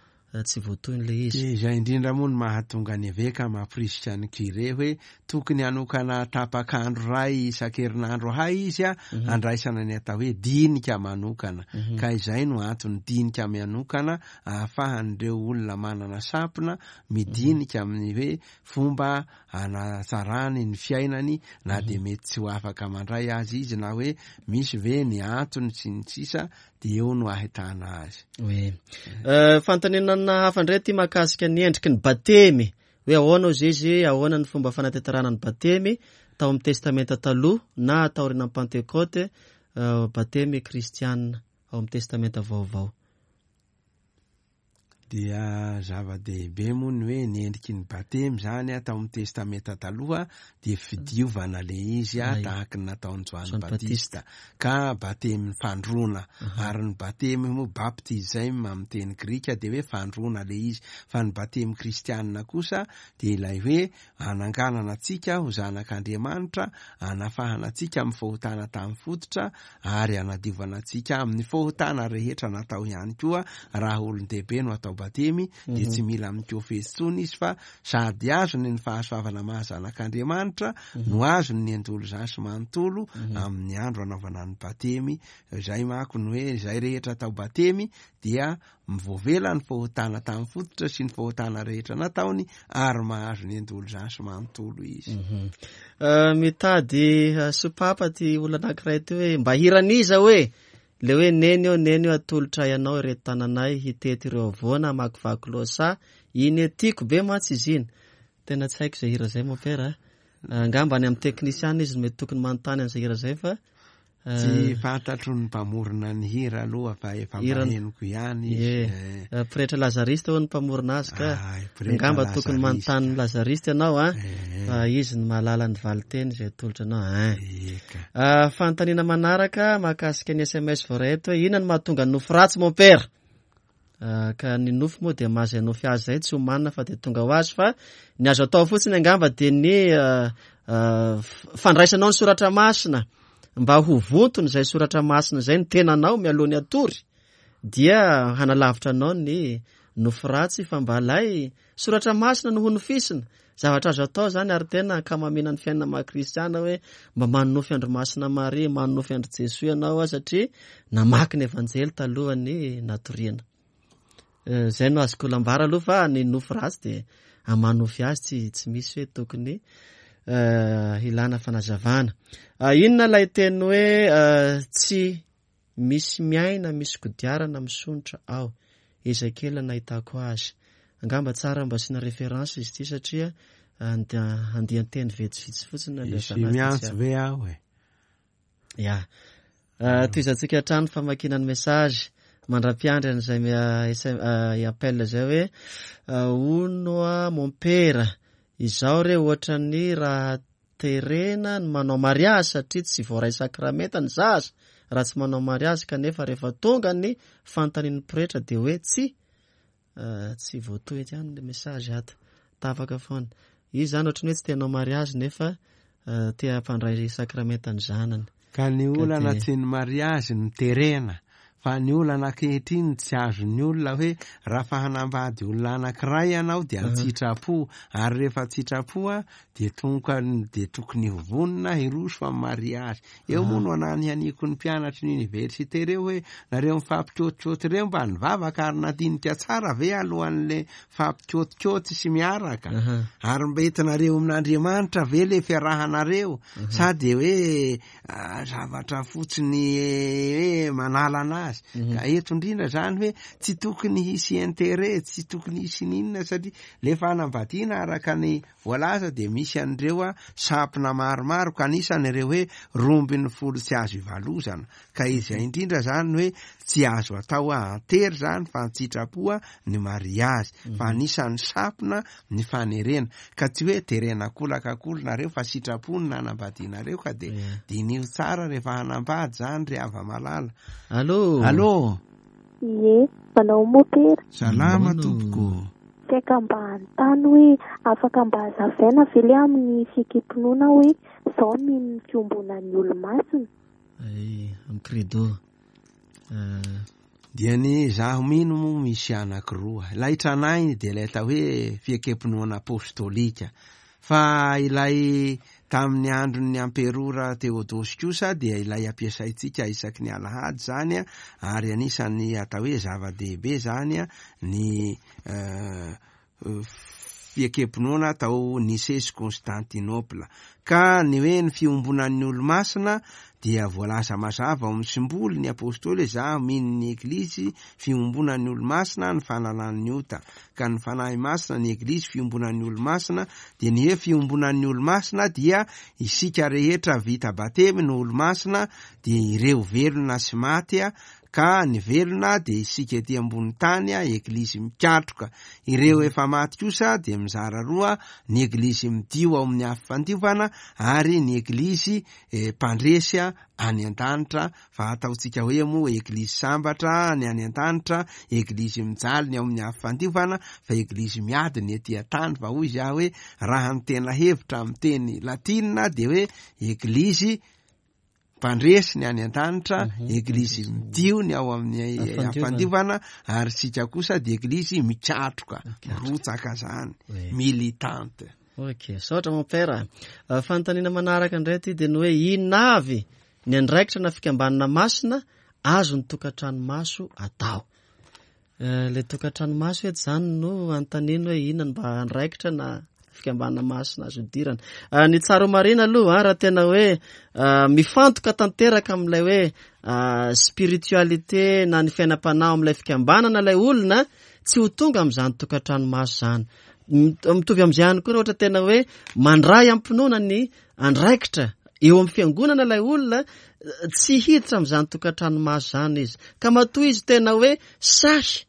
tsy voatohiny ilay izy. Izay indrindra moa no mahatonga ny eveka mampirisika ny curé hoe tokony hanokana tapak'andro iray isan-kerinandro hay izy a handraisana ny atao hoe dinika manokana. Ka izay no antony dinika manokana ahafahan'ireo olona manana sampona midinika amin'ny hoe fomba anatsarany ny fiainany na dia mety tsy ho afaka mandray azy izy na hoe misy ve ny antony sy ny sisa, dia eo no ahitana azy. Hoe fanontaniana hafa indray ity mahakasika ny endriky ny batemy, hoe ahoana ozy izy, ahoana ny fomba fanatanterahana ny batemy tao amin'ny testamenta taloha na taorian'ny Pantekote, batemy kristianina ao amin'ny testamenta vaovao. Dia zava-dehibe moa ny hoe ny endriky ny batemy zany tao amin'ny testamenta taloha dia fidiovana le izy a tahaky ny nataon'i Joany Batista, ka batemy fandroana. Ary ny batemy moa baptisme amin'ny teny grika dia hoe fandroana le izy, fa ny batemy kristianina kosa dia ilay hoe ananganana antsika ho zanak'Andriamanitra, anafahana antsika amin'ny fahotana tamin'ny fototra ary anadiovana antsika amin'ny fahotana rehetra natao ihany koa. Raha olon-dehibe no atao batemy dia tsy mila mikofehy intsony izy fa sady azony ny fahasoavana maha zanak'Andriamanitra no azony ny endolozasy manontolo amin'ny andro anaovana ny batemy. Izay manko ny hoe izay rehetra atao batemy dia mivoavela ny fahotana tamin'ny fototra sy ny fahotana rehetra nataony ary mahazo ny endolozasy manontolo izy. Mitady sopapa ty olona anankiray ty hoe mba hiran'iza hoe le hoe neny eo, neny eo atolotra ianao ireto tananay hitety ireo havoana hamakivaky lohasaha, iny tiako be mantsy izy iny. Tena tsy haiko izay hira izay mompera. Angamba any amin'ny teknisiana izy mety tokony manontany an'izay hira izay fa tsy fantatro ny mpamorona ny hira aloha fa efa mahenoko ihany izy. Pretra Lazariste hono ny mpamorona azy ka angamba tokony manontany ny Lazariste ianao a, fa izy no mahalala ny valinteny izay atolotra anao. Fanontaniana manaraka mahakasika ny S M S voaray eto hoe inona no mahatonga ny nofy ratsy mompera? Ka ny nofy moa dia mahazay nofy azy izay tsy homanina fa dia tonga ho azy, fa ny azo atao fotsiny angamba dia ny fandraisanao ny soratra masina mba ho vontony izay soratra masina izay ny tenanao mialoha ny hatory dia hanalavitra anao ny nofy ratsy, fa mba ilay soratra masina no ho nofisina. Zavatra azo atao zany ary tena ankamamiana ny fiainana maha kristiana hoe mba manonofy andro masina Maria, manonofy andro Jesoa ianao a, satria namaky ny evanjely talohan'ny natoriana. Zay no azoko lambara aloha fa ny nofy ratsy dia amanofy azy tsy, tsy misy hoe tokony hilana fanazavana. Inona ilay teny hoe tsy misy miaina, misy kodiarana misonitra ao? Ezekiel nahitako azy. Angamba tsara mba asiana référence izy ity satria andian-teny vitsivitsy fotsiny no Misy miantso ve aho e? Ya. Tohizantsika hatrany famakiana ny message mandra-piandry an'izay appel izay hoe hono a mompera, izao re ohatran'ny raha terena ny manao mariazy satria tsy voaray sakramenta ny zaza raha tsy manao mariazy, kanefa rehefa tonga ny fanontanian'ny pretra dia hoe tsy tsy voatohy ihany le message ato, tapaka foana. Izy zany ohatran'ny hoe tsy te hanao mariazy nefa te hampandray sakramenta ny zanany. Ka ny olana tsy ny mariazy no terena, fa ny olana ankehitriny tsy azon'ny olona hoe raha fa hanambady olona anankiray ianao dia an-tsitrapo, ary rehefa an-tsitrapo a dia tonga dia tokony ho vonona hiroso amin'ny mariazy. Eo moa no ananihaniko ny mpianatry ny université ireo hoe nareo mifampikaotikaoty ireo mba nivavaka ary nandinika tsara ve alohan'le fampikaotikaoty sy miaraka, ary mba entinareo amin'Andriamanitra ve le fiarahanareo, sa dia hoe zavatra fotsiny hoe manala anazy. Ka eto indrindra zany hoe tsy tokony hisy intérêt, tsy tokony hisy n'inona, satria le fanambadiana araka ny voalaza dia misy an'ireo a sampona maromaro, ka anisan'ireo hoe roa ambin'ny folo tsy azo ivalozana. Ka izay indrindra zany hoe tsy azo atao antery zany fa an-tsitrapo ny mariazy, fa anisan'ny sampona ny fanerena. Ka tsy hoe terena kolaka akory nareo fa sitrapo ny nanambadianareo, ka dia diniho tsara rehefa hanambady zany ry hava-malala. Allô? Allô? Ie, manao mopera. Salama tompoko. Saika mba hanontany hoe afaka mba hazavaina ve le amin'ny fiekem-pinoana hoe izao mino ny fiombonan'ny olo-masina? Ay, amin'ny credo. Dia ny zaho mino moa misy anankiroa. Ilay tranainy dia ilay atao hoe fiekem-pinoana apostolika. Fa ilay tamin'ny andron'ny amperora Teodosy kosa dia ilay ampiasaintsika isaky ny alahady zany a, ary anisan'ny atao hoe zava-dehibe zany a ny eh, fiekem-pinoana tao Nicée sy Constantinople. Ka ny hoe ny fiombonan'ny olo-masina dia voalaza mazava ao amin'ny simboly ny apôstôly hoe zaho mino ny eglizy fiombonan'ny olo-masina ny fanalan'ny ota. Ka ny fanahy masina ny eglizy fiombonan'ny olo-masina dia ny hoe fiombonan'ny olo-masina dia isika rehetra vita batemy no olo-masina, dia ireo velona sy maty a, ka ny velona dia isika ety ambony tany a, eglizy mikatroka. Ireo efa maty kosa dia mizara roa, ny eglizy midio ao amin'ny afo fandiovana ary ny eglizy eh, mpandresy a any an-danitra, fa ataontsika hoe moa eglizy sambatra ny any an-danitra, eglizy mijaly ny ao amin'ny afo fandiovana, fa eglizy miady ny ety an-tany. Fa hoy izy aho hoe raha ny tena hevitra amin'ny teny latinina dia hoe eglizy mpandresy ny any an-danitra, eglizy midio ny ao amin'ny Afandiovana. afandiovana, ary sika kosa dia eglizy mikatroka, mirotsaka zany, Oui. militante. Ok, saotra mon père. Uh, fanontaniana manaraka indray ity dia ny hoe inona avy ny andraikitra na fikambanana masina azon'ny tokantrano maso atao. Uh, le tokantrano maso eto zany no anontaniana hoe inona no mba andraikitra na fikambanana masina azo idirana. Uh, ny tsara ho marina aloha a, raha tena hoe uh, mifantoka tanteraka amin'ilay hoe uh, spiritualité na ny fiainam-panahy amin'ilay fikambanana ilay olona, tsy ho tonga amin'izany tokantrano maso zany. Mit- Mitovy amin'izay ihany koa raha ohatra tena hoe mandray am-pinoana ny andraikitra eo amin'ny fiangonana ilay olona, eh, tsy hiditra amin'izany tokantrano maso zany izy. Ka matoa izy tena hoe sahy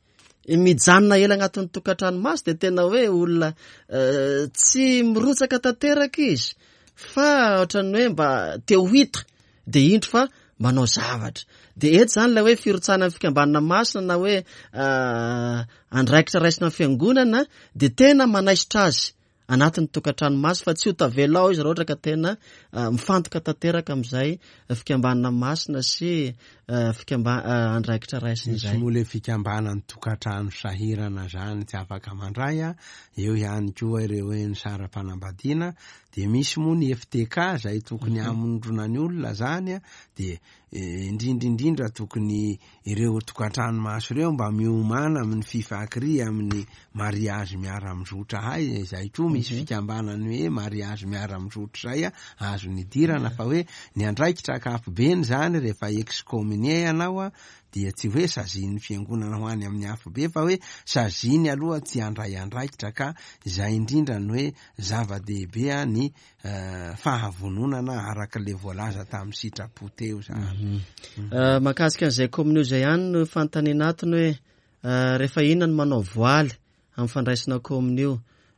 mijanona ela anatin'ny tokantrano maso dia tena hoe olona eh, tsy mirotsaka tanteraka izy, fa ohatran'ny hoe mba te ho hita dia indro fa manao zavatra. Dia eto zany ilay hoe firotsahana amin'ny fikambanana masina na hoe uh, andraikitra raisina amin'ny fiangonana dia tena manaisotra azy anatin'ny tokantrano maso, fa tsy ho tavela ao izy raha ohatra ka tena uh, mifantoka tanteraka amin'izay fikambanana masina sy uh, fikamba- uh, andraikitra raisina Misy izay. moa le fikambanan'ny tokantrano sahirana zany tsy afaka mandray a, eo ihany koa ireo hoe ny sara-panambadiana, dia misy moa ny F T K zay tokony hamondrona ny olona zany a, dia eh, indrindra indrindra tokony ireo tokantrano maso ireo mba miomana amin'ny fifakri amin'ny mariazy miara-mizotra hay, izay koa misy fikambanany hoe mariazy miara-mizotra zay a, azo nidirana. Fa hoe ny andraikitra ankapobeny zany rehefa excommunié ianao a, dia tsy hoe sazian'ny fiangonana ho any amin'ny afobe, fa hoe saziny aloha tsy handray andraikitra. Ka izay indrindra ny hoe zava-dehibe a ny eh, fahavononana araka le voalaza tamin'ny sitrapo teo zany. Uh, mahakasika an'izay kominio izay ihany no fanontaniana atony hoe uh, rehefa inona no manao voaly amin'ny fandraisana kominio,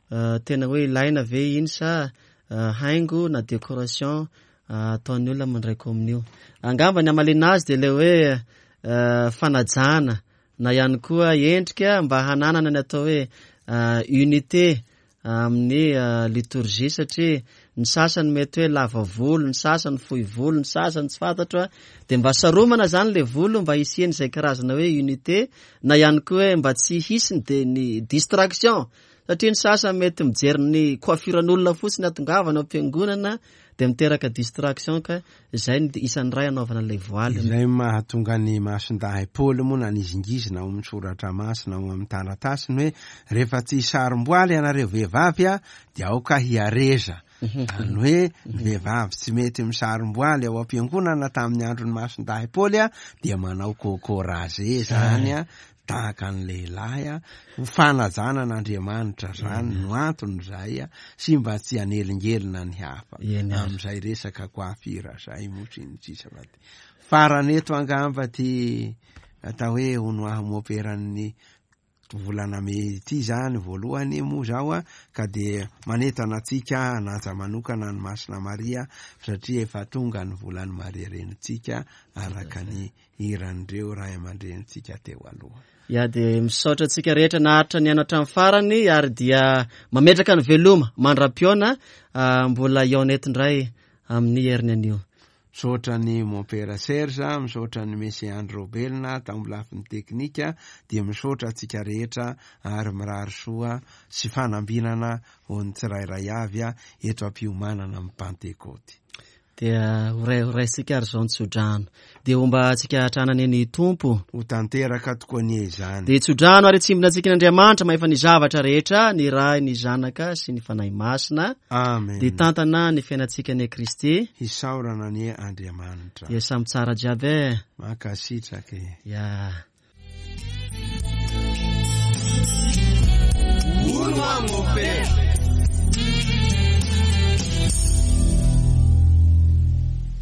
uh, tena hoe ilaina ve iny sa uh, haingo na décoration uh, ataon'ny olona mandray kominio. Angamba ny amalina azy dia ilay hoe uh, fanajana na ihany koa endrika mba hananana ny atao hoe uh, unité amin'ny uh, liturgie, satria ny sasany mety hoe lava volo, ny sasany fohy volo, ny sasany tsy fantatro a, dia mba saromana zany le volo mba hisiany izay karazana hoe unité, na ihany koa hoe mba tsy hisy ny de ny distraction, satria ny sasany mety mijery ny coiffuran'olona fotsiny atongavana ao am-piangonana dia miteraka distraction, ka izay ny isan'ny ray anaovana ilay voaly. Izay mahatonga ny masindahy Paoly moa nanizingizina ao amin'ny soratra masina ao amin'ny taratasiny hoe rehefa tsy sarom-boaly ianareo vehivavy a, dia aoka hiareza. Zany hoe ny vehivavy tsy mety misarom-boaly ao am-piangonana tamin'ny andron'ny masindahy Paoly a, dia manao coco rasé zany a, tahaka ny lehilahy a, ho fanajana an'Andriamanitra zany no antony zay a, sy mba tsy hanelingelina ny hafa Eny ary. amin'izay resaka coiffure zay moa sy ny sisa. Fa ty farany eto angamba ty atao hoe hono aho moperan'ny volana mey ity zany voalohany moa zao a, ka de manentana antsika hanaja manokana ny Masina Maria, satria efa tonga ny volan'ny Maria renintsika araka ny hiran'ireo ray aman-drenintsika teo aloha. Ya, dia misaotra antsika rehetra naharitra ny haino hatramin'ny farany, ary dia mametraka ny veloma mandra-piona, ah, mbola hihaona eto indray amin'ny heriny anio. Misaotra ny Mompera Serge, misaotra ny Messie Andry Robelina tamin'ny lafiny teknika, dia misaotra antsika rehetra ary mirary soa sy fanambinana ho an'ny tsirairay avy eto am-piomanana amin'ny Pantekoty. Dia ho ray- ho raisika ary izao ny tsodrano. Dia homba antsika hatrany anie ny Tompo. Ho tanteraka tokoa anie izany. Dia tsodrano ary tsimbina antsika n'Andriamanitra mahefa ny zavatra rehetra, ny Ray, ny Zanaka sy ny Fanahy Masina. Amen. Dia tantana ny fiainantsika anie Kristy. Hisaorana anie Andriamanitra. Dia samy tsara jiaby e. Mankasitraka e. Ya. Hono aho, Mompera.